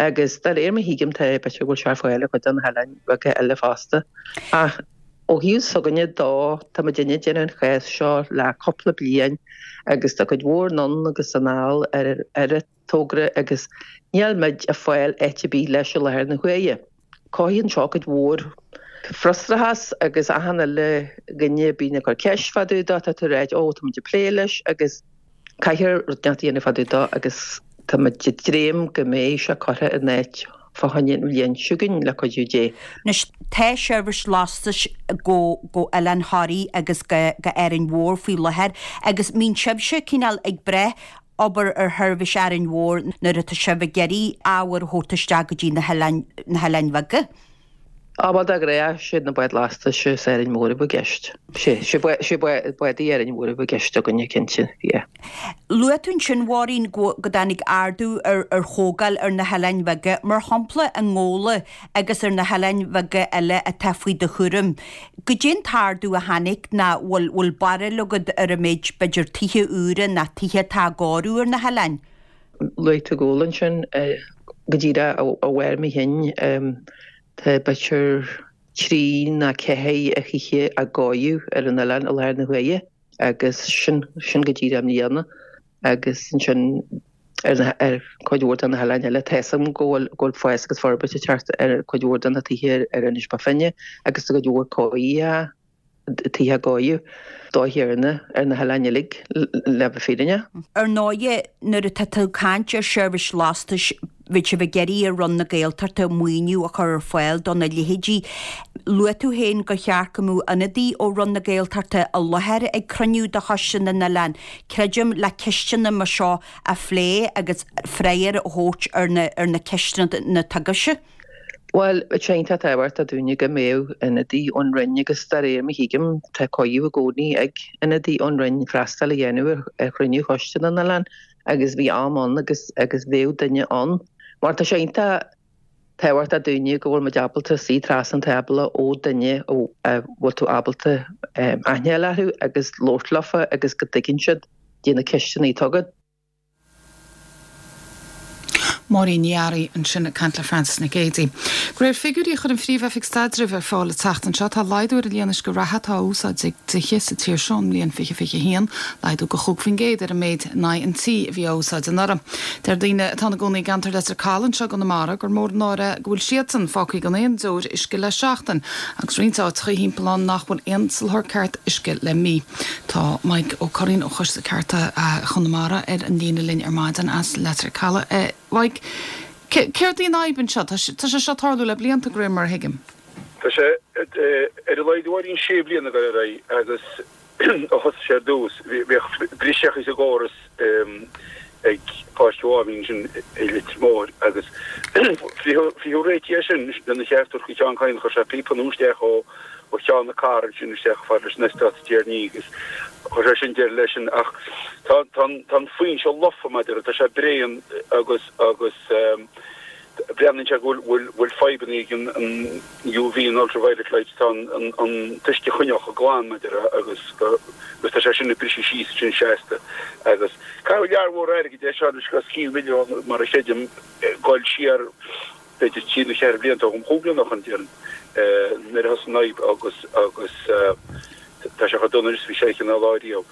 Agus de réir mar a thuigim tá b'fhéidir go bhfuil sé ar fáil ar chuid de na hoileáin bheaga eile fosta. Ach ó thaobh s'againne dó, tá muidinne ag déanamh an chás seo le cúpla bliain agus tá cuid mhór anonn agus anall ar ar an togra agus níl muid ag fáil áit ar bith leis i láthair na huaire. Cothaíonn seo cuid mhór frustrachas agus achan uile dhuine a bíonn ag cur ceist fá dtaobh dó, tá tú ag ráit ó tá muid ag plé leis agus caithfear rud inteacht a dhéanamh fá dtaobh dó agus tá muid ag dréim go mbeidh sé curtha in áit fá choinne an bhliain seo chugainn le cuidiú Dé. Anois tá seirbhís lastais go go Oileán Thoraí agus go go Árainn Mhór faoi láthair agus mbíonn sibhse cineál ag brath abair ar sheirbhís Árainn Mhór nuair atá sibh ag iarraidh ábhar a thabhairt isteach go dtí na hoileáin, na hoileáin bheaga. Á bhuel de ghnáth siad na báid lastais as Árainn Mhór a bheadh i gceist. Sé, sé sé bádaí Árainn Mhór a bheadh i gceist againne cinnte, yeah. Luaigh tú ansin, Mháirín, go go dtáinig ardú ar ar thógáil ar na hoileáin bheaga, mar shampla i nGabhla agus ar na hoileáin bheaga eile atá faoi do chúram. Goidé an t-ardú a tháinig nó bhfuil bhfuil barúil agat ar an méid b'fhéidir tithe úra nó tithe atá á gcóiriú ar na hoileáin? Luaigh tú Gabhla ansin go díreach ó bharr mo chinn tá b'fhéidir trí nó ceathair de thithe á gcóiriú ar an oileán i láthair na huaire agus sin sin go díreach i mbliana. agus ansin ar chuid mhór de na hoileáin eile. Tá 'fhios agam go bhfuil go bhfuil fás agus forbairt ag teacht ar chuid mhór de na tithe ar Inis Bó Finne agus tá cuid mhór cóirithe. tithe á gcóiriú. Dóigh chéanna ar na hoileáin uilig le bheith fírinneach. Ar ndóighe, nuair atá tú ag caint ar sheirbhís lastais, bheadh sibh ag iarraidh ar Roinn na Gaeltachta maoiniú a chur ar fáil do na leithéidí. Luaigh tú féin gur cheart go mbeadh ionadaí ó Roinn na Gaeltachta i láthair ag cruinniú de Choiste na nOileán, creidim, le ceisteanna mar seo a phlé agus freagra a thabhairt ar na ar na ceisteanna atá agaibhse. Bhuel, bheadh sé iontach tábhachtach dúinne go mbeadh ionadaí ón Roinn agus de réir mar a thuigim tá cuireadh i gcónaí ag ionadaí ón Roinn freastal a dhéanamh ar chruinniú Choiste na nOileán agus bhí am ann agus agus bheadh duine ann mar tá sé iontach tábhachtach dúinne go bhfuil muid ábalta suí trasna an tábla ó duine a bhfuil tú ábalta aithne a fháil orthu agus labhairt leofa agus go dtuigeann siad dé na ceisteanna atá agat. Máirín Ní Fhearraigh ansin ag caint le Frances Nic Géadaigh. De réir figiúirí a chuir an Phríomh-Oifig Staidrimh ar fáil an tseachtain seo, tá laghdú ar an líon uisce reatha atá á úsáid ag tithe sa tír seo ón mbliain 2021, laghdú de 5% ar an méid in aghaidh an tí a bhí á úsáid anuraidh. Deir daoine atá ina gcónaí i gceantar Leitir Caladh anseo i gConamara gur mór an náire go bhfuil siadsan fágtha gan aon deoir uisce le seachtain agus roinnt áiteacha thimpeall ann nach bhfuil aon soláthar ceart uisce le mí. Tá Maidhc Ó Curraoin ó Choiste Cearta Chonamara ar an líne linn ar maidin as Leitir Caladh. A Mhaidhc, céard í an fhadhb anseo? Tá sé seo ag tarlú le blianta, de réir mar a thuigim. Tá sé ar a laghad a Mháirín sé bliana ag dul ar aghaidh agus ó thosaigh sé ar dtús bhíodh briseadh sa gcóras ag Páirc Mháimín ansin i Leitir Móir agus frítheadh réitigh é sin lena cheart a thabhairt do Sheán Kyne chuir sé píopa nua isteach ó ó Cheann na Cora ansin isteach chomh fada leis an eastát i dTír Ní agus chuir sé sin deireadh leis sin ach tá tá tá an foinse lofa mar a déarfá tá sé bréan agus agus breathnaíonn sé go bhfuil bhfuil fadhbanna ag an an UV an ultraviolet light tá an an an t-uisce a choinneáil chomh glan mar a déarfá agus go agus tá sé sin ag briseadh síos ansin seasta agus caitheadh lear mhór airgid é seo anois os cionn mhilliún mar a chreidim dul siar b'fhéidir trí nó cheithre blianta ó chúig bliana ó shin déarfainn, nuair a thosaigh an fhadhb agus agus tá sé chomh dona is a bhí sé cineál lá riamh.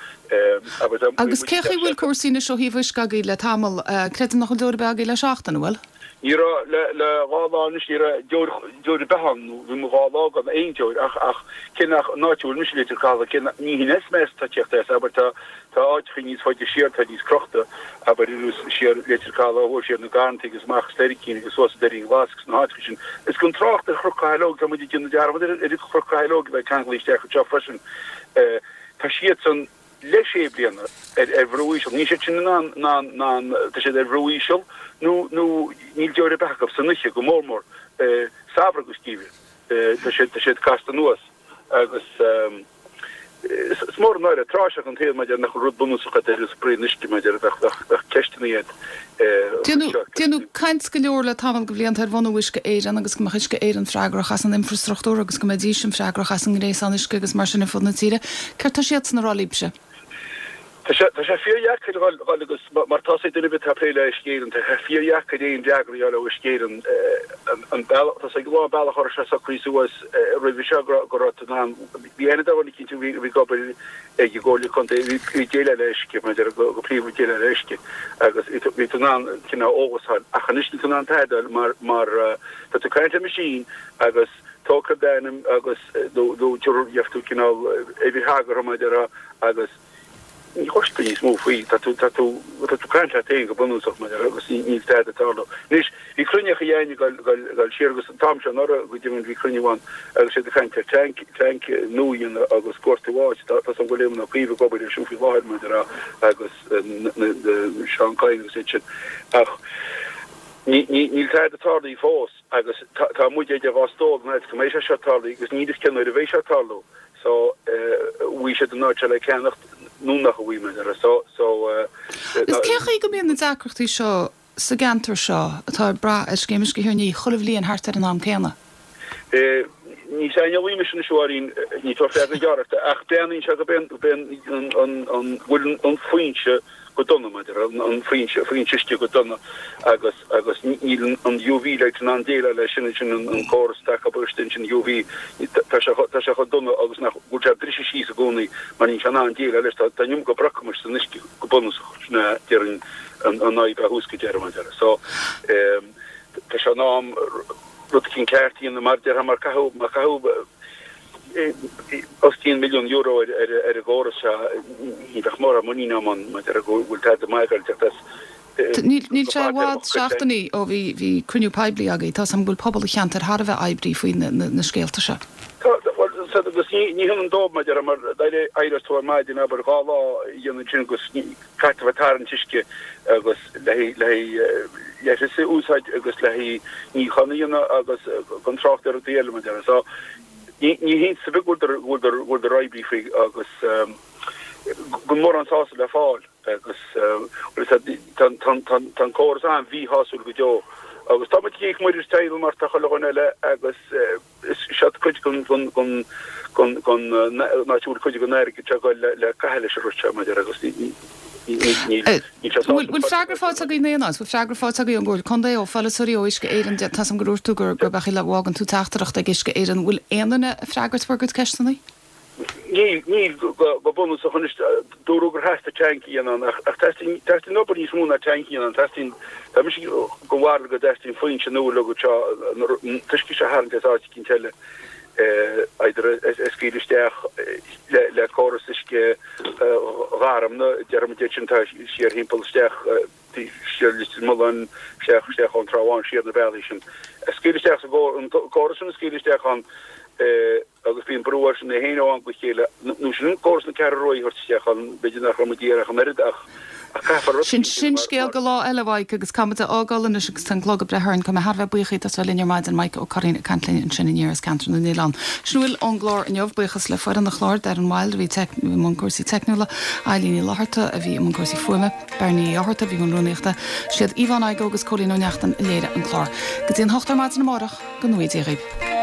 Abair tá Agus cé chaoi bhfuil cúrsaí anois ó thaobh uisce agaibh le tamall? Creidim nach bhfuil deoir ar bith agaibh le seachtain, an bhfuil? Ní raibh, le le dhá lá anois ní raibh deoir deoir ar bith ann, nó bhí muid dhá lá gan aon deoir ach ach cé nach an áit a bhfuil mise Leitir Caladh cé nach ní hin as meas atá ag tíocht as, abair tá Tá áiteacha níos faide siar atá níos crochta, abair anuas siar Leitir Caladh ó thuaidh siar na Garrantaí agus amach as Leircín agus suas an Doirín Glas agus na háiteacha sin. Is gan trácht ar Chnoc Chathalóg, tá muid ag déanamh dearmad ar ar Chnoc Chathalóg a bheith ceanglaithe isteach anseo freisin. Tá siadsan le sé bliana ar ar bhrú íseal. Níl siad sin in ann in ann in ann tá siad ar bhrú íseal nó nó níl deoir ar bith acu san oíche go mór mór samhradh agus geimhreadh. Tá siad tá siad casta anuas agus. Is mór an náire tráiseach an tsaol maidir nach bhfuil rud bunúsach agat ar nós braon uisce maidir bheadh bheadh ceisteanna iad faoi seo. Déanadh caint go leor le tamall de bhlianta ar bhunú Uisce Éireann agus go mbeadh Uisce Éireann freagrach as an infreastruchtúr agus go mbeidís freagrach as an ngréasán uisce agus mar sin ar fud na tíre. Céard tá siadsan a rá libhse? Tá sé tá sé fíordheacair dhul dhul agus mar tá 'fhios ag duine ar bith atá ag plé le Uisce Éireann tá sé fíordheacair aon fhreagra a fháil ó Uisce Éireann an bealach tá 'fhios ag a lán bealach a raibh sé socraithe suas roimhe seo go go raibh tú in ann bhí aithne ar dhuine eicínt a bhí a bhí ag obair ag an gComhairle Contae a bhí ag déileáil le uisce mar a déarfá go go príomha ag déileáil le uisce agus bhí tú bhí tú in ann cineál eolas a fháil ach anois níl tú in ann tada a fháil mar mar tá tú ag caint le machine agus tógfaidh d'ainm agus nó nó gheobhaidh tú cineál uimhir thagartha mar a déarfá agus ní chloisfidh tú níos mó faoi, tá tú, tá tú, tá tú ag caint leat féin go bunúsach mar a déarfá agus níl tada ag tarlú. Anois, bhí cruinniú againn ag dul, dul, dul siar agus an t-am seo anuraidh go deimhin bhí cruinniú ann agus siad ag caint ar tank, tank nua a dhéanamh agus gortú áit, tá, tá 'fhios agam go bhfuil Éamon Ó Cuív ag obair air sin faoi láthair mar a déarfá agus na, na, Seán Kyne agus iad sin ach ní, ní, níl tada tarlaithe fós. Agus tá muid idir dhá stól an áit go mbeidh sé seo ag tarlú agus níl fhios cén uair a bheidh sé ag tarlú. So, bhfuil siad an áit seo le ceannacht nó nach bhfuil mar a déarfá. So, so. Is cén chaoi go mbíonn na deacrachtaí seo sa gceantar seo atá ag brath ar Scéim Uisce Thír an Fhia chuile bhliain thart ar an am céanna? Ní saineolaí mise anois a Mháirín, ní tabharfaidh freagra gearr ort, ach breathnaíonn sé go b'é an, an, an, bhfuil an foinse go dona, mar a déarfá, an foinse, foinse uisce go dona agus, agus níl an UV light in ann déileáil leis sin, sin an córas atá acu istigh ansin UV, tá sé, tá sé chomh dona agus nach bhfuil sé ag briseadh síos i gcónaí mar níl sé in ann déileáil leis, tá, tá an iomarca brocamais san uisce go bunúsach, sin é déarfainn an, an fhadhb ó thús go deireadh, mar a déarfá. So, tá sé in am rud eicínt ceart a dhéanamh mar a déarfá mar caitheadh, mar caitheadh. Os cionn €1,000,000 ar an gcóras seo, ní bheadh mórán muinín agam ann maidir le go bhfuil tada maith ag dul teacht as. Níl sé i bhfad, seachtainí ó bhí cruinniú poiblí agaibh. Tá 's agam go bhfuil pobal an cheantair thar a bheith oibrithe faoi na scéalta seo. Tá, bhuel, agus ní hionann dóibh, mar a déarfá, mar éireos tú ar maidin, abair, 2 lá a dhéanamh ansin agus caithfidh tú a bheith ag tarraingt uisce agus le haghaidh leithreas a úsáid agus le haghaidh níochán a dhéanamh agus gan trácht ar rudaí eile, mar a déarfá. So, ní hiontas ar bith go bhfuileadar oibrithe faoi agus gan mórán sásamh le fáil agus tá an córas an-mhíshásúil go deo agus tá muid ag íoc muirir teaghlaigh mar tá chuile dhuine eile agus is seo cuid den áit a bhfuil cuid den airgead seo ag dul le caitheamh leis an rud seo maidir agus ní níl sé sásta. Bhfuil freagra faighte agaibh in aon áit? Bhfuil freagra faighte agaibh ón gComhairle Contae, ó pholaiteoirí, ó Uisce Éireann? Tá 's agam gur dhúirt tú gur gurb é a bhfágann tú teachtaireacht ag Uisce Éireann. Bhfuil aon duine ag freagairt bhur gcuid ceisteanna? Níl, níl, go bunúsach anois, dúradh gur theastaigh tanc a dhéanamh ann, ach teastaíonn, teastaíonn obair níos mó ná tanc a dhéanamh ann, teastaíonn, tá mise den bharúil go dteastaíonn foinse nua le go seo, an t-uisce seo a tharraingt as áit eicínt eile, either a scaoileadh isteach le córas uisce Gharmna, déarfaimid é sin, tá siar thimpeall isteach, siar Leitir Mealláin, isteach, isteach ón Trá Bháin, siar na bealaí sin, a scaoileadh isteach sa gcóras, an córas sin a scaoileadh isteach ann, agus bíonn brú air sin é féin ó am go chéile, nó sin córas na Ceathrú Rua a thabhairt isteach ann, b'fhéidir nach raibh muid ag iarraidh ach an oiread ach caithfear rud Sin sin scéal go lá eile, a Mhaidhc, agus caithfidh muid a fhágáil anois agus tá an clog ag breith orainn. Tá mé thar a bheith buíoch díot as bheith linn ar maidin, Mike Ó Curraoin ag caint linn ansin aniar as Ceantar na nOileán. Sin a bhfuil ón gclár inniu. Buíochas le foireann an chláir, Darren Wilde a bhí i mbun cúrsaí teicniúla, Eilín Ní Fhlatharta a bhí i mbun cúrsaí fuaime, Bernie Uí Fhátharta a bhí i mbun rúnaíochta, siad Yvonne Igoe agus Cóilín Ó Neachtain a léirigh an clár. Go dtí an hocht ar maidin amárach, go ngnóthaí Dia dhaoibh.